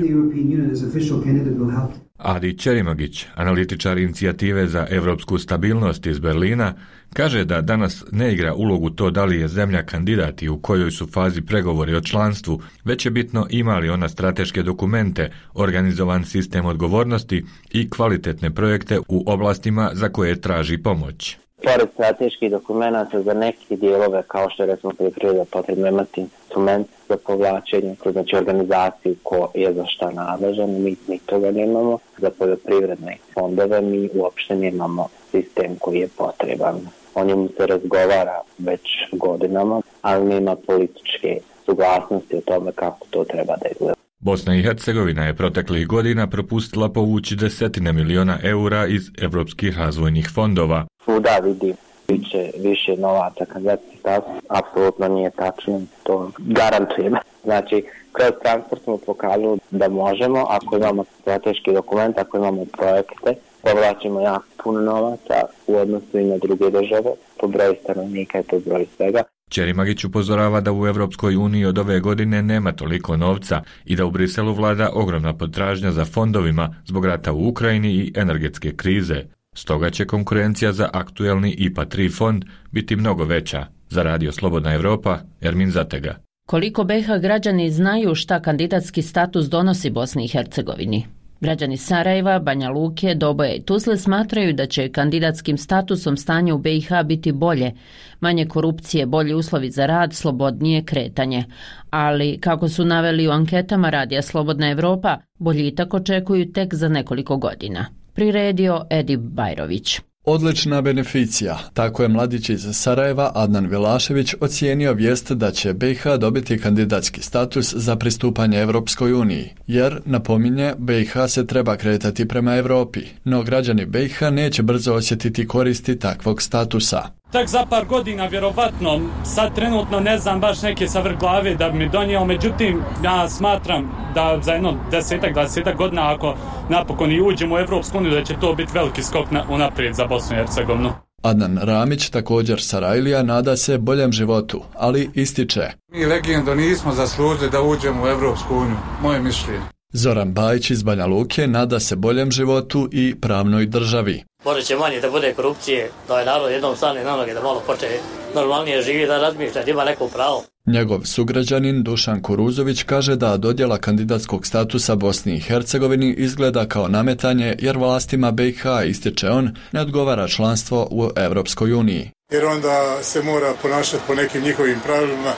Adi Čerimagić, analitičar inicijative za evropsku stabilnost iz Berlina, kaže da danas ne igra ulogu to da li je zemlja kandidat i u kojoj su fazi pregovori o članstvu, već je bitno ima li ona strateške dokumente, organizovan sistem odgovornosti i kvalitetne projekte u oblastima za koje traži pomoć. Pored strateških dokumenta za neke dijelove, kao što je recimo poljoprivreda, potrebno imati instrument za povlačenje, znači organizaciju ko je za šta nadležan, mi, mi toga nemamo. Za poljoprivredne fondove mi uopšte nemamo sistem koji je potreban. O njemu se razgovara već godinama, ali nema političke suglasnosti o tome kako to treba da izgleda. Bosna i Hercegovina je proteklih godina propustila povući desetine miliona eura iz evropskih razvojnih fondova. Svuda vidi više, više novaca kandidatski status, apsolutno nije tačno, to garantujem. Znači, kroz transport smo pokazali da možemo, ako imamo strateški dokument, ako imamo projekte, povlačimo jako puno novaca u odnosu i na druge države, po broju stanovnika i po broju svega. Čerimagić upozorava da u Evropskoj uniji od ove godine nema toliko novca i da u Briselu vlada ogromna potražnja za fondovima zbog rata u Ukrajini i energetske krize. Stoga će konkurencija za aktuelni I P A tri fond biti mnogo veća. Za Radio Slobodna Evropa, Ermin Zatega. Koliko B i H građani znaju šta kandidatski status donosi Bosni i Hercegovini? Građani Sarajeva, Banja Luke, Doboja i Tuzle smatraju da će kandidatskim statusom stanje u B i H biti bolje, manje korupcije, bolji uslovi za rad, slobodnije kretanje. Ali, kako su naveli u anketama Radija Slobodna Evropa, boljitak očekuju tek za nekoliko godina. Priredio Edip Bajrović. Odlična beneficija, tako je mladić iz Sarajeva Adnan Vilašević ocijenio vijest da će B i H dobiti kandidatski status za pristupanje Evropskoj uniji, jer, napominje, B i H se treba kretati prema Europi, no građani B i H neće brzo osjetiti koristi takvog statusa. Tek za par godina, vjerovatno, sad trenutno ne znam baš neke savrh glave da bi mi donijelo, međutim, ja smatram da za jedno desetak, dvadesetak godina, ako napokon i uđemo u Evropsku uniju, da će to biti veliki skok na, unaprijed za Bosnu i Hercegovinu. Adnan Ramić, također Sarajlija, nada se boljem životu, ali ističe. Mi legendo nismo zaslužili da uđemo u Evropsku uniju, moje mišljenje. Zoran Bajić iz Banja Luke nada se boljem životu i pravnoj državi. Možda će manje da bude korupcije, da je narod jednom stane na noge, da malo počne normalnije živi, da razmišlja, da ima neko pravo. Njegov sugrađanin Dušan Kuruzović kaže da dodjela kandidatskog statusa Bosni i Hercegovini izgleda kao nametanje, jer vlastima B i H, ističe on, ne odgovara članstvo u Evropskoj uniji. Jer onda se mora ponašati po nekim njihovim pravilima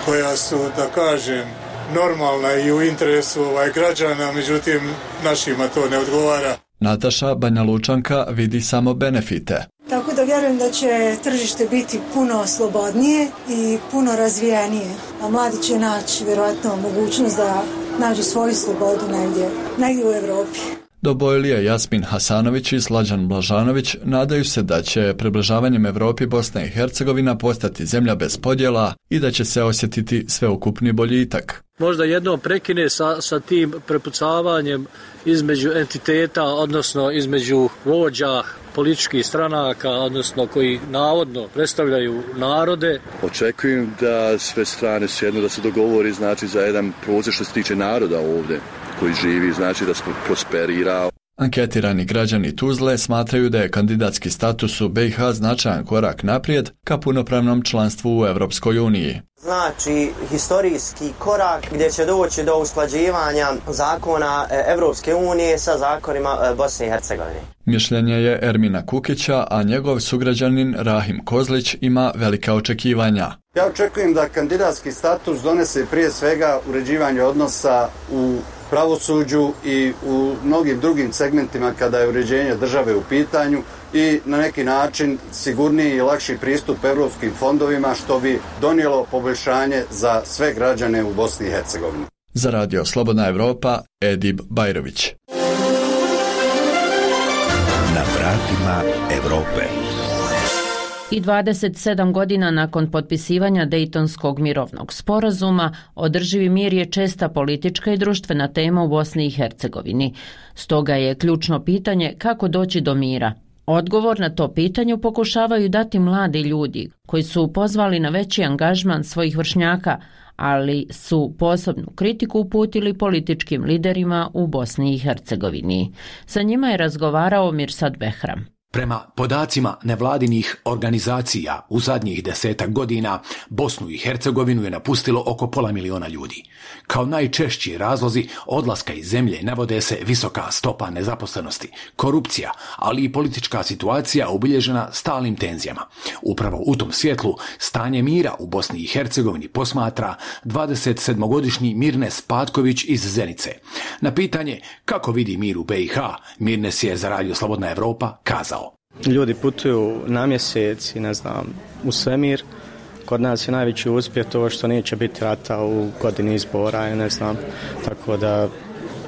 koja su, da kažem, normalna i u interesu ovaj građana, međutim našima to ne odgovara. Nataša Banja Lučanka vidi samo benefite. Tako da vjerujem da će tržište biti puno slobodnije i puno razvijenije, a mladi će naći vjerojatno mogućnost da nađu svoju slobodu negdje, negdje u Europi. Dobojlija Jasmin Hasanović i Slađan Blažanović nadaju se da će približavanjem Europi Bosna i Hercegovina postati zemlja bez podjela i da će se osjetiti sveukupni boljitak. Možda jednom prekine sa, sa tim prepucavanjem između entiteta, odnosno između vođa političkih stranaka, odnosno koji navodno predstavljaju narode. Očekujem da sve strane sjednu, da se dogovori, znači, za jedan proces što se tiče naroda ovdje koji živi, znači da se prosperira. Anketirani građani Tuzle smatraju da je kandidatski status u B i H značajan korak naprijed ka punopravnom članstvu u Evropskoj uniji. Znači, historijski korak gdje će doći do usklađivanja zakona Evropske unije sa zakonima Bosne i Hercegovine. Mišljenje je Ermina Kukića, a njegov sugrađanin Rahim Kozlić ima velika očekivanja. Ja očekujem da kandidatski status donese prije svega uređivanje odnosa u pravosuđu i u mnogim drugim segmentima kada je uređenje države u pitanju i na neki način sigurniji i lakši pristup europskim fondovima, što bi donijelo poboljšanje za sve građane u Bosni i Hercegovini. Za Radio Slobodna Evropa, Edip Bajrović. Na vratima Evrope. I dvadeset sedam godina nakon potpisivanja Dejtonskog mirovnog sporazuma, održivi mir je česta politička i društvena tema u Bosni i Hercegovini. Stoga je ključno pitanje kako doći do mira. Odgovor na to pitanje pokušavaju dati mladi ljudi koji su pozvali na veći angažman svojih vršnjaka, ali su posebnu kritiku uputili političkim liderima u Bosni i Hercegovini. Sa njima je razgovarao Mirsad Behram. Prema podacima nevladinih organizacija u zadnjih desetak godina Bosnu i Hercegovinu je napustilo oko pola miliona ljudi. Kao najčešći razlozi odlaska iz zemlje navode se visoka stopa nezaposlenosti, korupcija, ali i politička situacija obilježena stalnim tenzijama. Upravo u tom svjetlu stanje mira u Bosni i Hercegovini posmatra dvadesetsedmogodišnji Mirnes Patković iz Zenice. Na pitanje kako vidi mir u B i H, Mirnes je za Radio Slobodna Evropa kazao: Ljudi putuju na mjesec i ne znam, u svemir. Kod nas je najveći uspjeh to što neće biti rata u godini izbora i ne znam. Tako da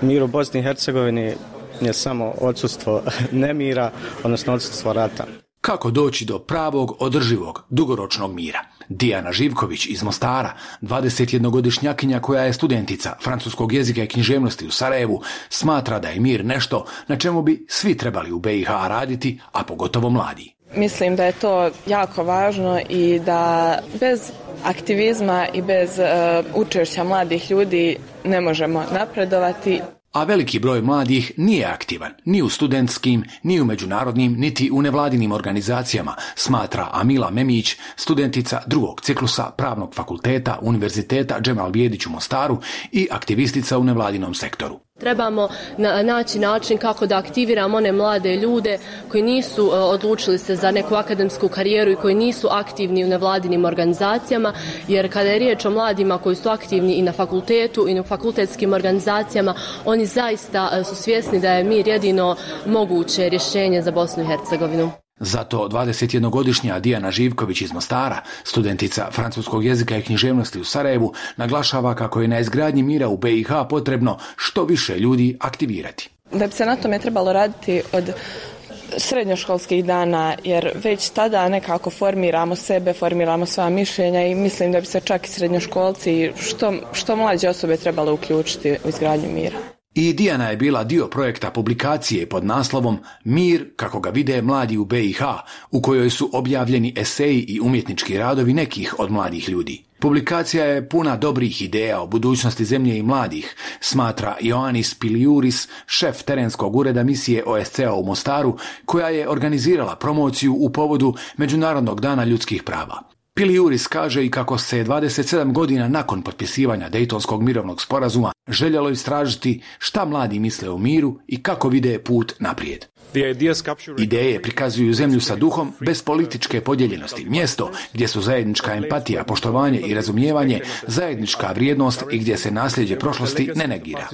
mir u Bosni i Hercegovini je samo odsustvo nemira, odnosno odsustvo rata. Kako doći do pravog, održivog, dugoročnog mira? Dijana Živković iz Mostara, dvadesetjednogodišnjakinja koja je studentica francuskog jezika i književnosti u Sarajevu, smatra da je mir nešto na čemu bi svi trebali u B i H raditi, a pogotovo mladi. Mislim da je to jako važno i da bez aktivizma i bez uh, učešća mladih ljudi ne možemo napredovati. A veliki broj mladih nije aktivan ni u studentskim, ni u međunarodnim, niti u nevladinim organizacijama, smatra Amila Memić, studentica drugog ciklusa Pravnog fakulteta Univerziteta Džemal Bijedić u Mostaru i aktivistica u nevladinom sektoru. Trebamo na, naći način kako da aktiviramo one mlade ljude koji nisu uh, odlučili se za neku akademsku karijeru i koji nisu aktivni u nevladinim organizacijama, jer kada je riječ o mladima koji su aktivni i na fakultetu i u fakultetskim organizacijama, oni zaista uh, su svjesni da je mir jedino moguće rješenje za Bosnu i Hercegovinu. Zato dvadesetjednogodišnja Dijana Živković iz Mostara, studentica francuskog jezika i književnosti u Sarajevu, naglašava kako je na izgradnji mira u B i H potrebno što više ljudi aktivirati. Da bi se na tome trebalo raditi od srednjoškolskih dana, jer već tada nekako formiramo sebe, formiramo svoja mišljenja i mislim da bi se čak i srednjoškolci što, što mlađe osobe trebalo uključiti u izgradnju mira. I Dijana je bila dio projekta publikacije pod naslovom Mir kako ga vide mladi u B i H, u kojoj su objavljeni eseji i umjetnički radovi nekih od mladih ljudi. Publikacija je puna dobrih ideja o budućnosti zemlje i mladih, smatra Ioannis Piliuris, šef terenskog ureda misije O S C-a u Mostaru, koja je organizirala promociju u povodu Međunarodnog dana ljudskih prava. Piliuris kaže i kako se dvadeset sedam godina nakon potpisivanja Dejtonskog mirovnog sporazuma željelo istražiti šta mladi misle o miru i kako vide put naprijed. Ideje prikazuju zemlju sa duhom bez političke podijeljenosti, mjesto gdje su zajednička empatija, poštovanje i razumijevanje zajednička vrijednost i gdje se nasljeđe prošlosti ne negira.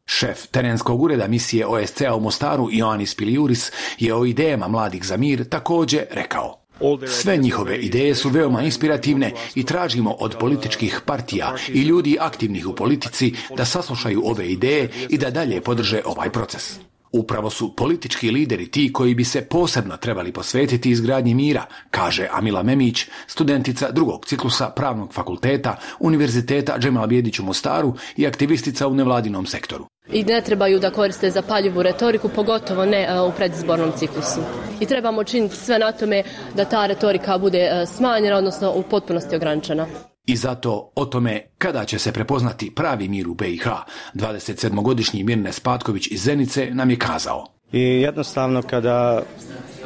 Šef terenskog ureda misije O S C-a u Mostaru Ioannis Piliuris je o idejama mladih za mir također rekao: Sve njihove ideje su veoma inspirativne i tražimo od političkih partija i ljudi aktivnih u politici da saslušaju ove ideje i da dalje podrže ovaj proces. Upravo su politički lideri ti koji bi se posebno trebali posvetiti izgradnji mira, kaže Amila Memić, studentica drugog ciklusa Pravnog fakulteta Univerziteta Džemal Bijedić u Mostaru i aktivistica u nevladinom sektoru. I ne trebaju da koriste zapaljivu retoriku, pogotovo ne uh, u predizbornom ciklusu. I trebamo činiti sve na tome da ta retorika bude uh, smanjena, odnosno u potpunosti ograničena. I zato o tome kada će se prepoznati pravi mir u B i H, dvadesetsedmogodišnji Mirnes Patković iz Zenice nam je kazao. I jednostavno kada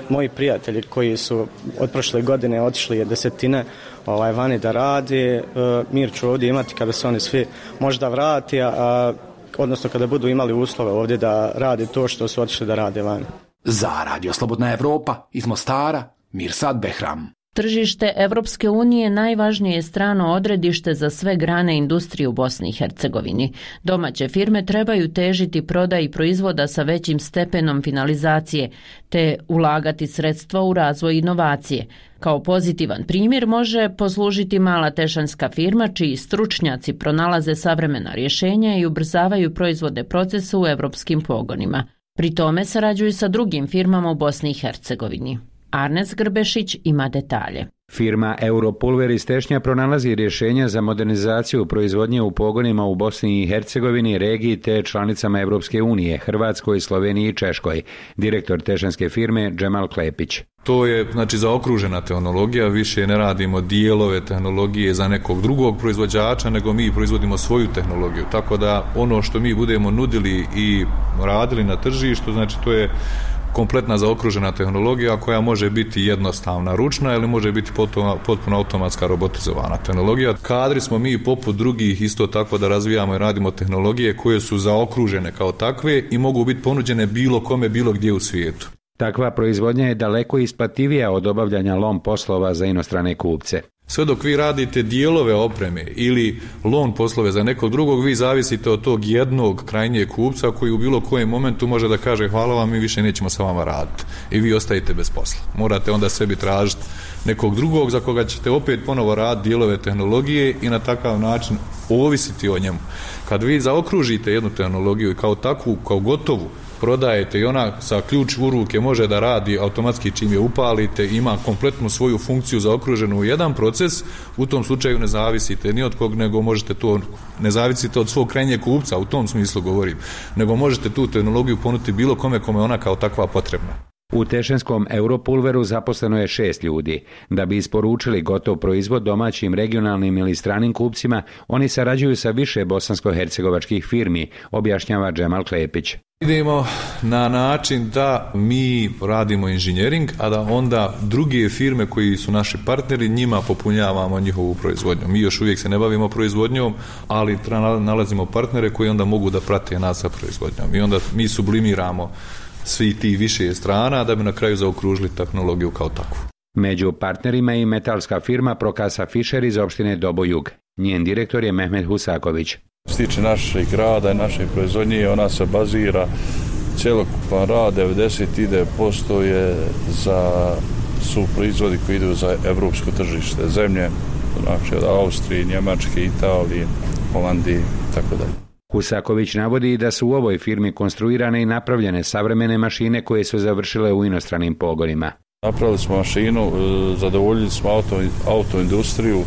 moji prijatelji koji su od prošle godine otišli desetine ovaj, vani da radi, uh, mir ću ovdje imati kada se oni svi možda vrati, a odnosno kada budu imali uslove ovdje da rade to što su otišli da rade van. Za Radio Slobodna Evropa iz Mostara, Mirsad Behram. Tržište Evropske unije najvažnije je strano odredište za sve grane industrije u Bosni i Hercegovini. Domaće firme trebaju težiti prodaji proizvoda sa većim stepenom finalizacije, te ulagati sredstva u razvoj inovacije. Kao pozitivan primjer može poslužiti mala tešanska firma čiji stručnjaci pronalaze savremena rješenja i ubrzavaju proizvodne procese u evropskim pogonima. Pri tome sarađuju sa drugim firmama u Bosni i Hercegovini. Arnes Grbešić ima detalje. Firma Europulver iz Tešnja pronalazi rješenja za modernizaciju proizvodnje u pogonima u Bosni i Hercegovini, regiji te članicama Europske unije, Hrvatskoj, Sloveniji i Češkoj. Direktor tešanske firme Džemal Klepić. To je znači zaokružena tehnologija, više ne radimo dijelove tehnologije za nekog drugog proizvođača, nego mi proizvodimo svoju tehnologiju. Tako da ono što mi budemo nudili i radili na tržištu, znači to je kompletna zaokružena tehnologija koja može biti jednostavna ručna ili može biti potpuno, potpuno automatska robotizovana tehnologija. Kadri smo mi poput drugih isto tako da razvijamo i radimo tehnologije koje su zaokružene kao takve i mogu biti ponuđene bilo kome, bilo gdje u svijetu. Takva proizvodnja je daleko isplativija od obavljanja lom poslova za inostrane kupce. Sve dok vi radite dijelove opreme ili lon poslove za nekog drugog, vi zavisite od tog jednog krajnjeg kupca koji u bilo kojem momentu može da kaže hvala vam, mi više nećemo sa vama raditi i vi ostajete bez posla. Morate onda sebi tražiti nekog drugog za koga ćete opet ponovo raditi dijelove tehnologije i na takav način ovisiti o njemu. Kad vi zaokružite jednu tehnologiju i kao takvu, kao gotovu, prodajete i ona sa ključ u ruke može da radi automatski čim je upalite, ima kompletnu svoju funkciju zaokruženu u jedan proces, u tom slučaju ne zavisite ni od kog, nego možete to, ne zavisite od svog krajnjeg kupca, u tom smislu govorim, nego možete tu tehnologiju ponuditi bilo kome kome ona kao takva potrebna. U Tešenskom Europulveru zaposleno je šest ljudi. Da bi isporučili gotov proizvod domaćim, regionalnim ili stranim kupcima, oni sarađuju sa više bosansko-hercegovačkih firmi, objašnjava Džemal Klepić. Idemo na način da mi radimo inženjering, a da onda druge firme koji su naši partneri, njima popunjavamo njihovu proizvodnju. Mi još uvijek se ne bavimo proizvodnjom, ali nalazimo partnere koji onda mogu da prate nas sa proizvodnjom. I onda mi sublimiramo svi ti više strana da bi na kraju zaokružili tehnologiju kao takvu. Među partnerima je i metalska firma Prokasa Fischer iz opštine Dobojug. Njen direktor je Mehmet Husaković. Što se tiče našeg rada i naše proizvodnje, ona se bazira, cjelokupan rad, devedeset posto je za su proizvodi koji idu za evropsko tržište zemlje, znači od Austrije, Njemačke, Italije, Holandije i tako dalje. Husaković navodi da su u ovoj firmi konstruirane i napravljene savremene mašine koje su završile u inostranim pogonima. Napravili smo mašinu, zadovoljili smo auto, autoindustriju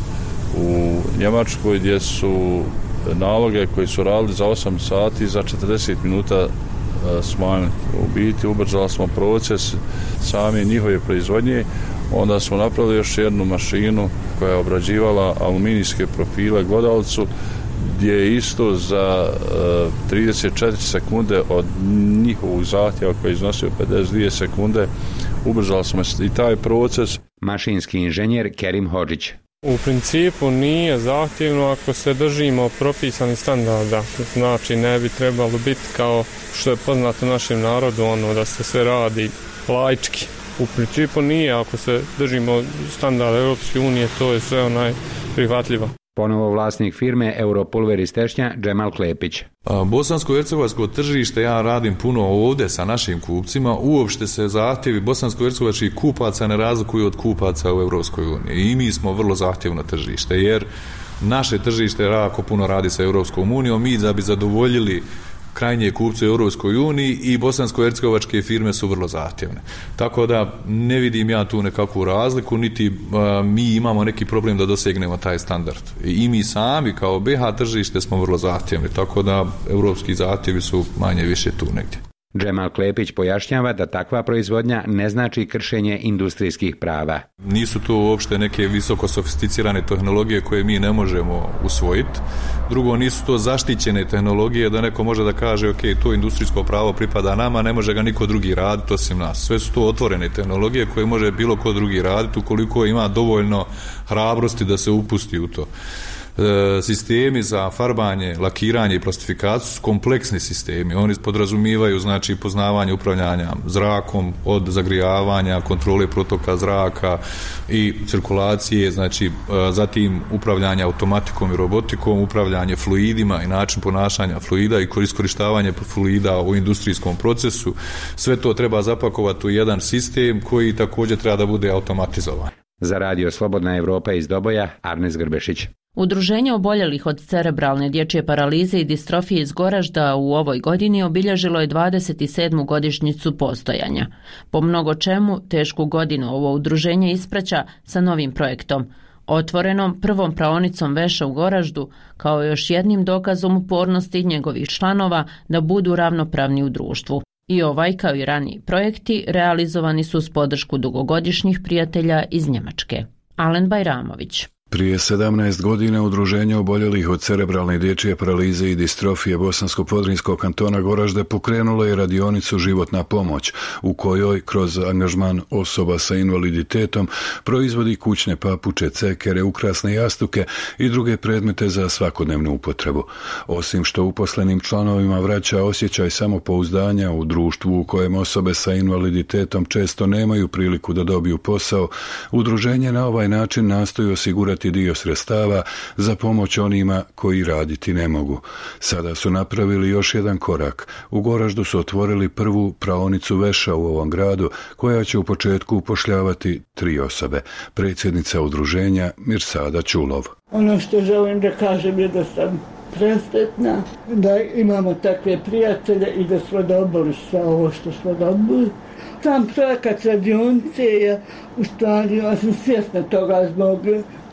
u Njemačkoj gdje su naloge koji su radili za osam sati za četrdeset minuta smanjili. U biti ubrzali smo proces same njihove proizvodnje. Onda smo napravili još jednu mašinu koja je obrađivala aluminijske profile glodavcu gdje je isto za trideset četiri sekunde od njihovog zahtjeva koji je iznosio pedeset dvije sekunde ubrzali smo i taj proces. Mašinski inženjer Kerim Hodžić. U principu nije zahtjevno ako se držimo propisanih standarda. Znači ne bi trebalo biti kao što je poznato našem narodu, ono da se sve radi laički. U principu nije, ako se držimo standarda Europske unije, to je sve onaj prihvatljivo. Ponovo vlasnik firme Europulver iz Tešnja, Džemal Klepić. Bosansko-hercegovačko tržište ja radim puno ovdje sa našim kupcima. Uopšte se zahtjevi bosansko-hercegovačkih kupaca ne razlikuju od kupaca u Europskoj uniji. I mi smo vrlo zahtjevno tržište, jer naše tržište jako puno radi sa Europskom unijom. Mi da bi zadovoljili krajnje kupce u Europskoj uniji i bosansko-hercegovačke firme su vrlo zahtjevne. Tako da ne vidim ja tu nekakvu razliku, niti a, mi imamo neki problem da dosegnemo taj standard. I mi sami kao B H tržište smo vrlo zahtjevni, tako da europski zahtjevi su manje više tu negdje. Džemal Klepić pojašnjava da takva proizvodnja ne znači kršenje industrijskih prava. Nisu to uopšte neke visoko sofisticirane tehnologije koje mi ne možemo usvojiti. Drugo, nisu to zaštićene tehnologije da neko može da kaže ok, to industrijsko pravo pripada nama, ne može ga niko drugi raditi osim nas. Sve su to otvorene tehnologije koje može bilo ko drugi raditi ukoliko ima dovoljno hrabrosti da se upusti u to. Sistemi za farbanje, lakiranje i plastifikaciju su kompleksni sistemi. Oni podrazumijevaju znači poznavanje upravljanja zrakom od zagrijavanja, kontrole protoka zraka i cirkulacije, znači zatim upravljanje automatikom i robotikom, upravljanje fluidima i način ponašanja fluida i iskorištavanje fluida u industrijskom procesu. Sve to treba zapakovati u jedan sistem koji također treba da bude automatizovan. Za radio Slobodna Evropa iz Doboja, Arnes Grbešić. Udruženje oboljelih od cerebralne dječje paralize i distrofije iz Goražda u ovoj godini obilježilo je dvadeset sedmu godišnjicu postojanja. Po mnogo čemu tešku godinu ovo udruženje ispraća sa novim projektom, otvorenom prvom praonicom veša u Goraždu, kao još jednim dokazom upornosti njegovih članova da budu ravnopravni u društvu. I ovaj, kao i raniji projekti, realizovani su s podršku dugogodišnjih prijatelja iz Njemačke. Alen Bajramović. Prije sedamnaest godina Udruženje oboljelih od cerebralne dječje paralize i distrofije Bosansko-Podrinjskog kantona Goražde pokrenulo je radionicu Životna pomoć, u kojoj kroz angažman osoba sa invaliditetom proizvodi kućne papuče, cekere, ukrasne jastuke i druge predmete za svakodnevnu upotrebu. Osim što uposlenim članovima vraća osjećaj samopouzdanja u društvu u kojem osobe sa invaliditetom često nemaju priliku da dobiju posao, udruženje na ovaj način nastoji osigurati dio sredstava za pomoć onima koji raditi ne mogu. Sada su napravili još jedan korak. U Goraždu su otvorili prvu praonicu veša u ovom gradu, koja će u početku upošljavati tri osobe. Predsjednica udruženja Mirsada Čulov. Ono što želim da kažem je da sam presretna, da imamo takve prijatelje i da smo dobili sve ovo što smo dobili. Sam projekat radionice je, u stvari, ja sam svjesna toga zbog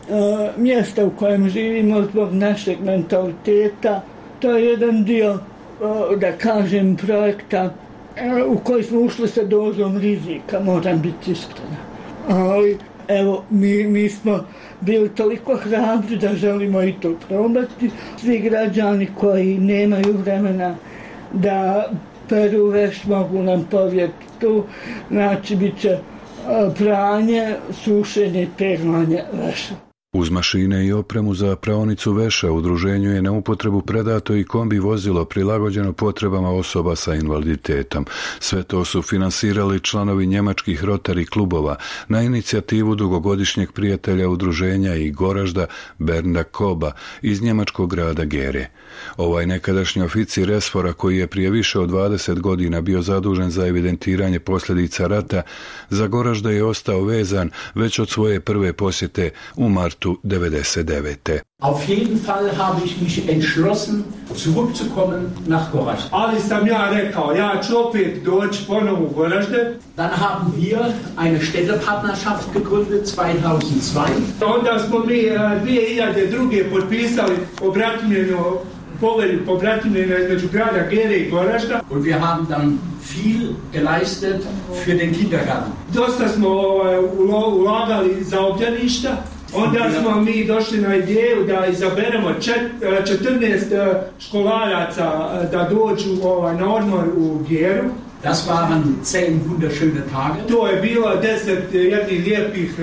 Uh, mjesta u kojem živimo, zbog našeg mentaliteta. To je jedan dio, uh, da kažem, projekta uh, u koji smo ušli sa dozom rizika, moram biti iskrena. Ali, evo, mi, mi smo bili toliko hrabri da želimo i to probati. Svi građani koji nemaju vremena da peru veš mogu nam povjeriti tu. Znači, bit će uh, pranje, sušenje i peglanje veša. Uz mašine i opremu za praonicu veša udruženju je na upotrebu predato i kombi vozilo prilagođeno potrebama osoba sa invaliditetom. Sve to su finansirali članovi njemačkih Rotary klubova na inicijativu dugogodišnjeg prijatelja udruženja i Goražda Bernda Koba iz njemačkog grada Gere. Ovaj nekadašnji oficir resfora, koji je prije više od dvadeset godina bio zadužen za evidentiranje posljedica rata, za Goražda je ostao vezan već od svoje prve posjete u martu devedeset devete. Auf jeden Fall habe ich mich entschlossen, zurückzukommen nach Goražde. Ali sam ja rekao, ja ću opet doći ponovo u Goražde. Dann haben wir eine Städtepartnerschaft gegründet zweitausendzwei. Onda smo mi dvije hiljade druge potpisali obratimljenu povelju pobratimljena između grada Gere i Goražda. Und wir haben dann viel geleistet für den Kindergarten. Dosta smo ovaj, ulagali za obdaništa. Onda smo mi došli na ideju da izaberemo četrnaest školaraca da dođu ovaj, na odmor u Geru. Das waren zehn wunderschöne Tage. To je bilo deset jednih lijepih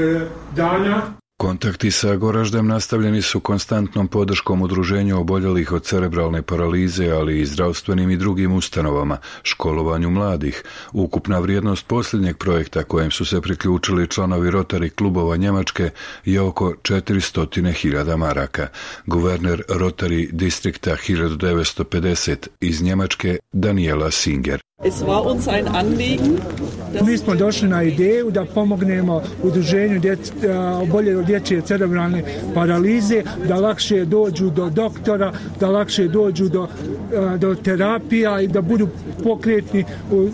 dana. Kontakti sa Goraždem nastavljeni su konstantnom podrškom udruženju oboljelih od cerebralne paralize, ali i zdravstvenim i drugim ustanovama, školovanju mladih. Ukupna vrijednost posljednjeg projekta kojem su se priključili članovi Rotary klubova Njemačke je oko četiristo hiljada maraka. Guverner Rotary distrikta hiljadu devetsto pedeset iz Njemačke Daniela Singer. Es war uns ein Anliegen. Mi smo došli na ideju da pomognemo udruženju oboljelih od dječje cerebralne paralize, da lakše dođu do doktora, da lakše dođu do, do terapija i da budu pokretni u,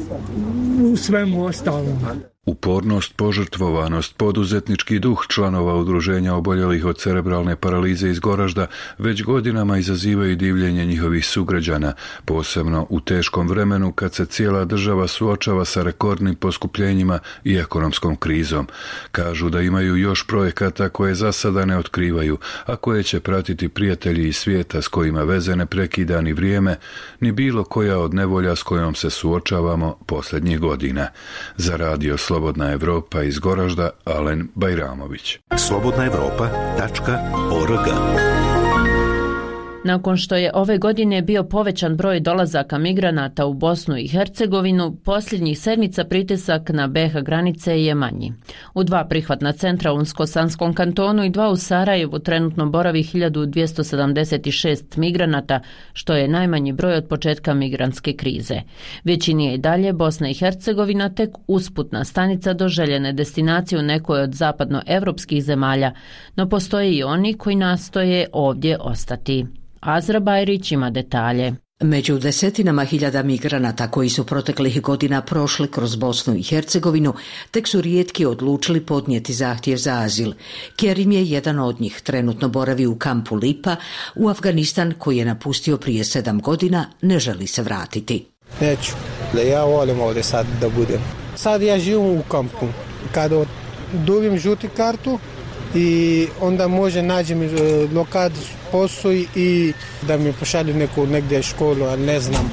u svemu ostalom. Upornost, požrtvovanost, poduzetnički duh članova udruženja oboljelih od cerebralne paralize iz Goražda već godinama izazivaju divljenje njihovih sugrađana, posebno u teškom vremenu kad se cijela država suočava sa rekordnim poskupljenjima i ekonomskom krizom. Kažu da imaju još projekata koje za sada ne otkrivaju, a koje će pratiti prijatelji iz svijeta s kojima veze ne prekida ni vrijeme, ni bilo koja od nevolja s kojom se suočavamo posljednjih godina. Za radio Slobodna Evropa iz Goražda, Alen Bajramović. slobodna evropa tačka org Nakon što je ove godine bio povećan broj dolazaka migranata u Bosnu i Hercegovinu, posljednjih sedmica pritisak na be ha granice je manji. U dva prihvatna centra u Unsko-Sanskom kantonu i dva u Sarajevu trenutno boravi hiljadu dvjesto sedamdeset šest migranata, što je najmanji broj od početka migrantske krize. Većini je i dalje Bosna i Hercegovina tek usputna stanica do željene destinacije u nekoj od zapadnoevropskih zemalja, no postoje i oni koji nastoje ovdje ostati. Azra Bajrić ima detalje. Među desetinama hiljada migranata koji su proteklih godina prošli kroz Bosnu i Hercegovinu, tek su rijetki odlučili podnijeti zahtjev za azil. Kerim je jedan od njih, trenutno boravi u kampu Lipa, u Afganistan koji je napustio prije sedam godina, ne želi se vratiti. Neću, da ja volim ovdje sad da budem. Sad ja živim u kampu. Kada dobim žuti kartu, i onda može nađem lokad posao i da mi pošalju neku negdje školu, ali ne znam.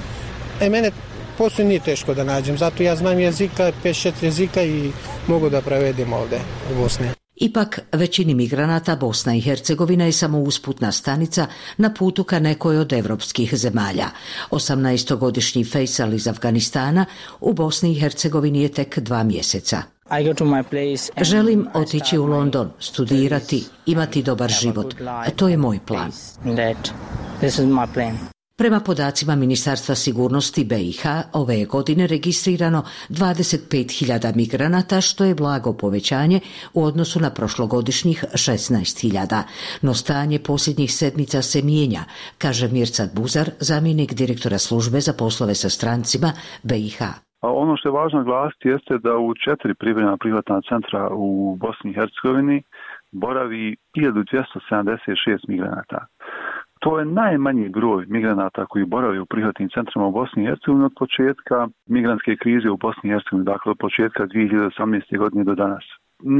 E, mene posao nije teško da nađem, zato ja znam jezika, pet šest jezika i mogu da prevedem ovdje u Bosni. Ipak, većini migranata Bosna i Hercegovina je samo usputna stanica na putu ka nekoj od evropskih zemalja. osamnaestogodišnji Fejsal iz Afganistana u Bosni i Hercegovini je tek dva mjeseca. Želim otići u London, studirati, imati dobar život. To je moj plan. Prema podacima Ministarstva sigurnosti be i ha, ove je godine registrirano dvadeset pet hiljada migranata, što je blago povećanje u odnosu na prošlogodišnjih šesnaest hiljada. No stanje posljednjih sedmica se mijenja, kaže Mirsad Buzar, zamjenik direktora službe za poslove sa strancima be i ha. A ono što je važno glasiti jeste da u četiri privremena prihvatna centra u Bosni i Hercegovini boravi hiljadu dvjesto sedamdeset šest migranata. To je najmanji broj migranata koji boravi u prihvatnim centrima u Bosni i Hercegovini od početka migrantske krize u Bosni i Hercegovini, dakle od početka dvije hiljade osamnaeste. godine do danas.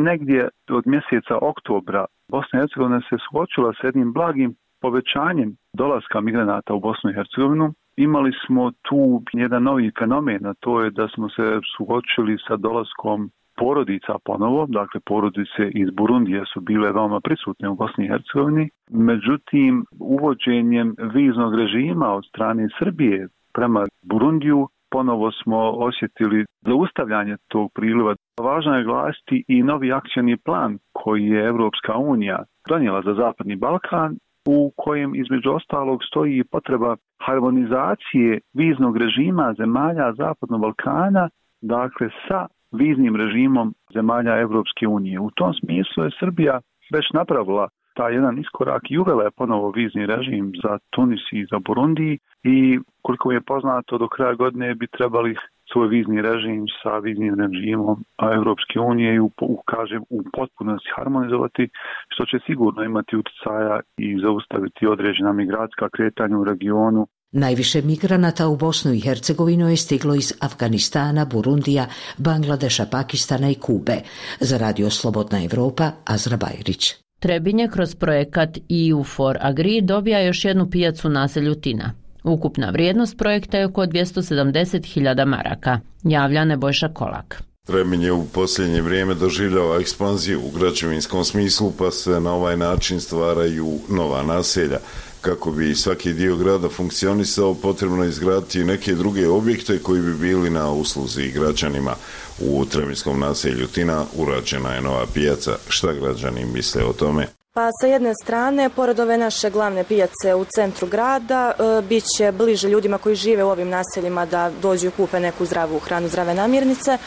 Negdje od mjeseca oktobra Bosna i Hercegovina se suočila s jednim blagim povećanjem dolaska migranata u Bosnu i Hercegovinu. Imali smo tu jedan novi fenomen, a to je da smo se suočili sa dolaskom porodica ponovo, dakle porodice iz Burundije su bile veoma prisutne u Bosni i Hercegovini. Međutim, uvođenjem viznog režima od strane Srbije prema Burundiju ponovo smo osjetili zaustavljanje tog priliva. Važno je glasiti i novi akcioni plan koji je Evropska unija donijela za Zapadni Balkan, u kojem između ostalog stoji i potreba harmonizacije viznog režima zemalja Zapadnog Balkana, dakle sa viznim režimom zemalja Evropske unije. U tom smislu je Srbija već napravila taj jedan iskorak i uvela je ponovo vizni režim za Tunis i za Burundi i koliko je poznato do kraja godine bi trebali svoj vizni režim sa viznim režimom Evropske unije i u, u, kažem, u potpunosti harmonizovati, što će sigurno imati utjecaja i zaustaviti određena migracijska kretanja u regionu. Najviše migranata u Bosnu i Hercegovinu je stiglo iz Afganistana, Burundija, Bangladeša, Pakistana i Kube. Za Radio Slobodna Evropa, Azra Bajrić. Trebinje kroz projekat E U for Agri dobija još jednu pijacu u naselju Tina. Ukupna vrijednost projekta je oko dvjesto sedamdeset hiljada maraka. Javlja Nebojša Kolak. Trebinje u posljednje vrijeme doživljava ekspanziju u građevinskom smislu, pa se na ovaj način stvaraju nova naselja. Kako bi svaki dio grada funkcionisao, potrebno je izgraditi neke druge objekte koji bi bili na usluzi građanima. U Trebinskom naselju Tina urađena je nova pijaca. Šta građani misle o tome? Pa sa jedne strane, pored ove naše glavne pijace u centru grada, e, bit će bliže ljudima koji žive u ovim naseljima da dođu i kupe neku zdravu hranu, zdrave namirnice,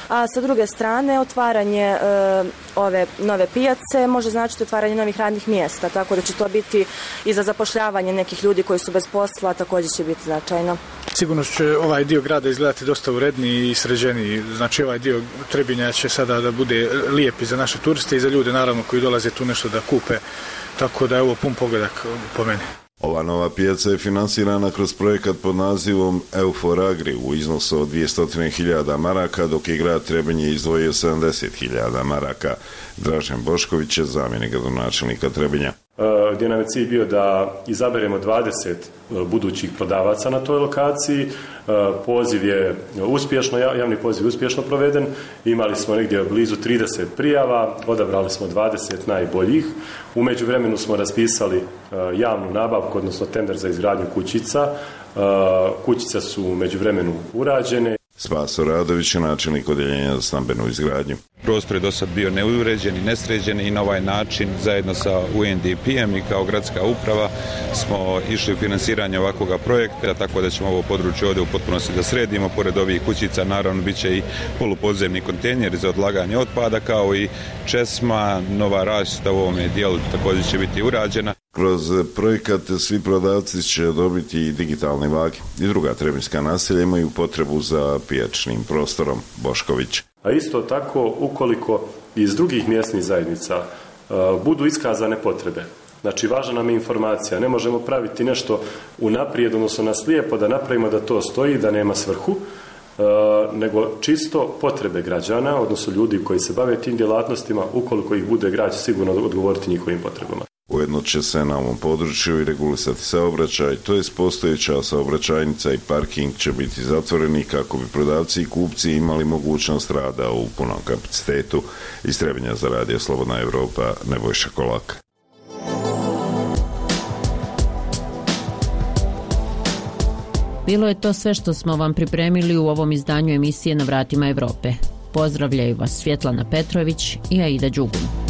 a sa druge strane, otvaranje e, ove nove pijace može značiti otvaranje novih radnih mjesta, tako da će to biti i za zapošljavanje nekih ljudi koji su bez posla, također će biti značajno. Sigurno će ovaj dio grada izgledati dosta uredniji i sređeniji. Znači ovaj dio Trebinja će sada da bude lijep i za naše turiste i za ljude naravno koji dolaze tu nešto da kupe. Tako da je ovo pun pogledak po meni. Ova nova pijaca je finansirana kroz projekat pod nazivom E U for Agri u iznosu od dvjesto hiljada maraka, dok je grad Trebinje izdvojio sedamdeset hiljada maraka. Dražen Bošković je zamjenik gradonačelnika Trebinja. gdje nam je cilj bio da izaberemo dvadeset budućih prodavaca na toj lokaciji. Poziv je uspješno, javni poziv je uspješno proveden. Imali smo negdje blizu trideset prijava, odabrali smo dvadeset najboljih. U međuvremenu smo raspisali javnu nabavku, odnosno tender za izgradnju kućica. Kućice su u međuvremenu urađene. Spaso Radović je načelnik odjeljenja za stambenu izgradnju. Prostor je do sad bio neuređen i nesređen i na ovaj način zajedno sa U N D P-em i kao gradska uprava smo išli u finansiranje ovakvog projekta, tako da ćemo ovo područje ovdje u potpunosti da sredimo. Pored ovih kućica naravno bit će i polupodzemni kontejneri za odlaganje otpada, kao i česma, nova rasvjeta u ovome dijelu također će biti urađena. Kroz projekat svi prodavci će dobiti i digitalne vage. I druga trebinjska naselja imaju potrebu za pijačnim prostorom. Bošković. A isto tako, ukoliko iz drugih mjesnih zajednica uh, budu iskazane potrebe, znači važna nam je informacija, ne možemo praviti nešto unaprijed, odnosno na slijepo da napravimo da to stoji, da nema svrhu, uh, nego čisto potrebe građana, odnosno ljudi koji se bave tim djelatnostima, ukoliko ih bude grad će sigurno odgovoriti njihovim potrebama. Ujedno će se na ovom području i regulisati saobraćaj, to je postojeća saobraćajnica i parking će biti zatvoreni kako bi prodavci i kupci imali mogućnost rada u punom kapacitetu. Iz Trebinja za Radio Slobodna Evropa, Nebojša Kolak. Bilo je to sve što smo vam pripremili u ovom izdanju emisije Na vratima Evrope. Pozdravljaju vas Svjetlana Petrović i Aida Đugun.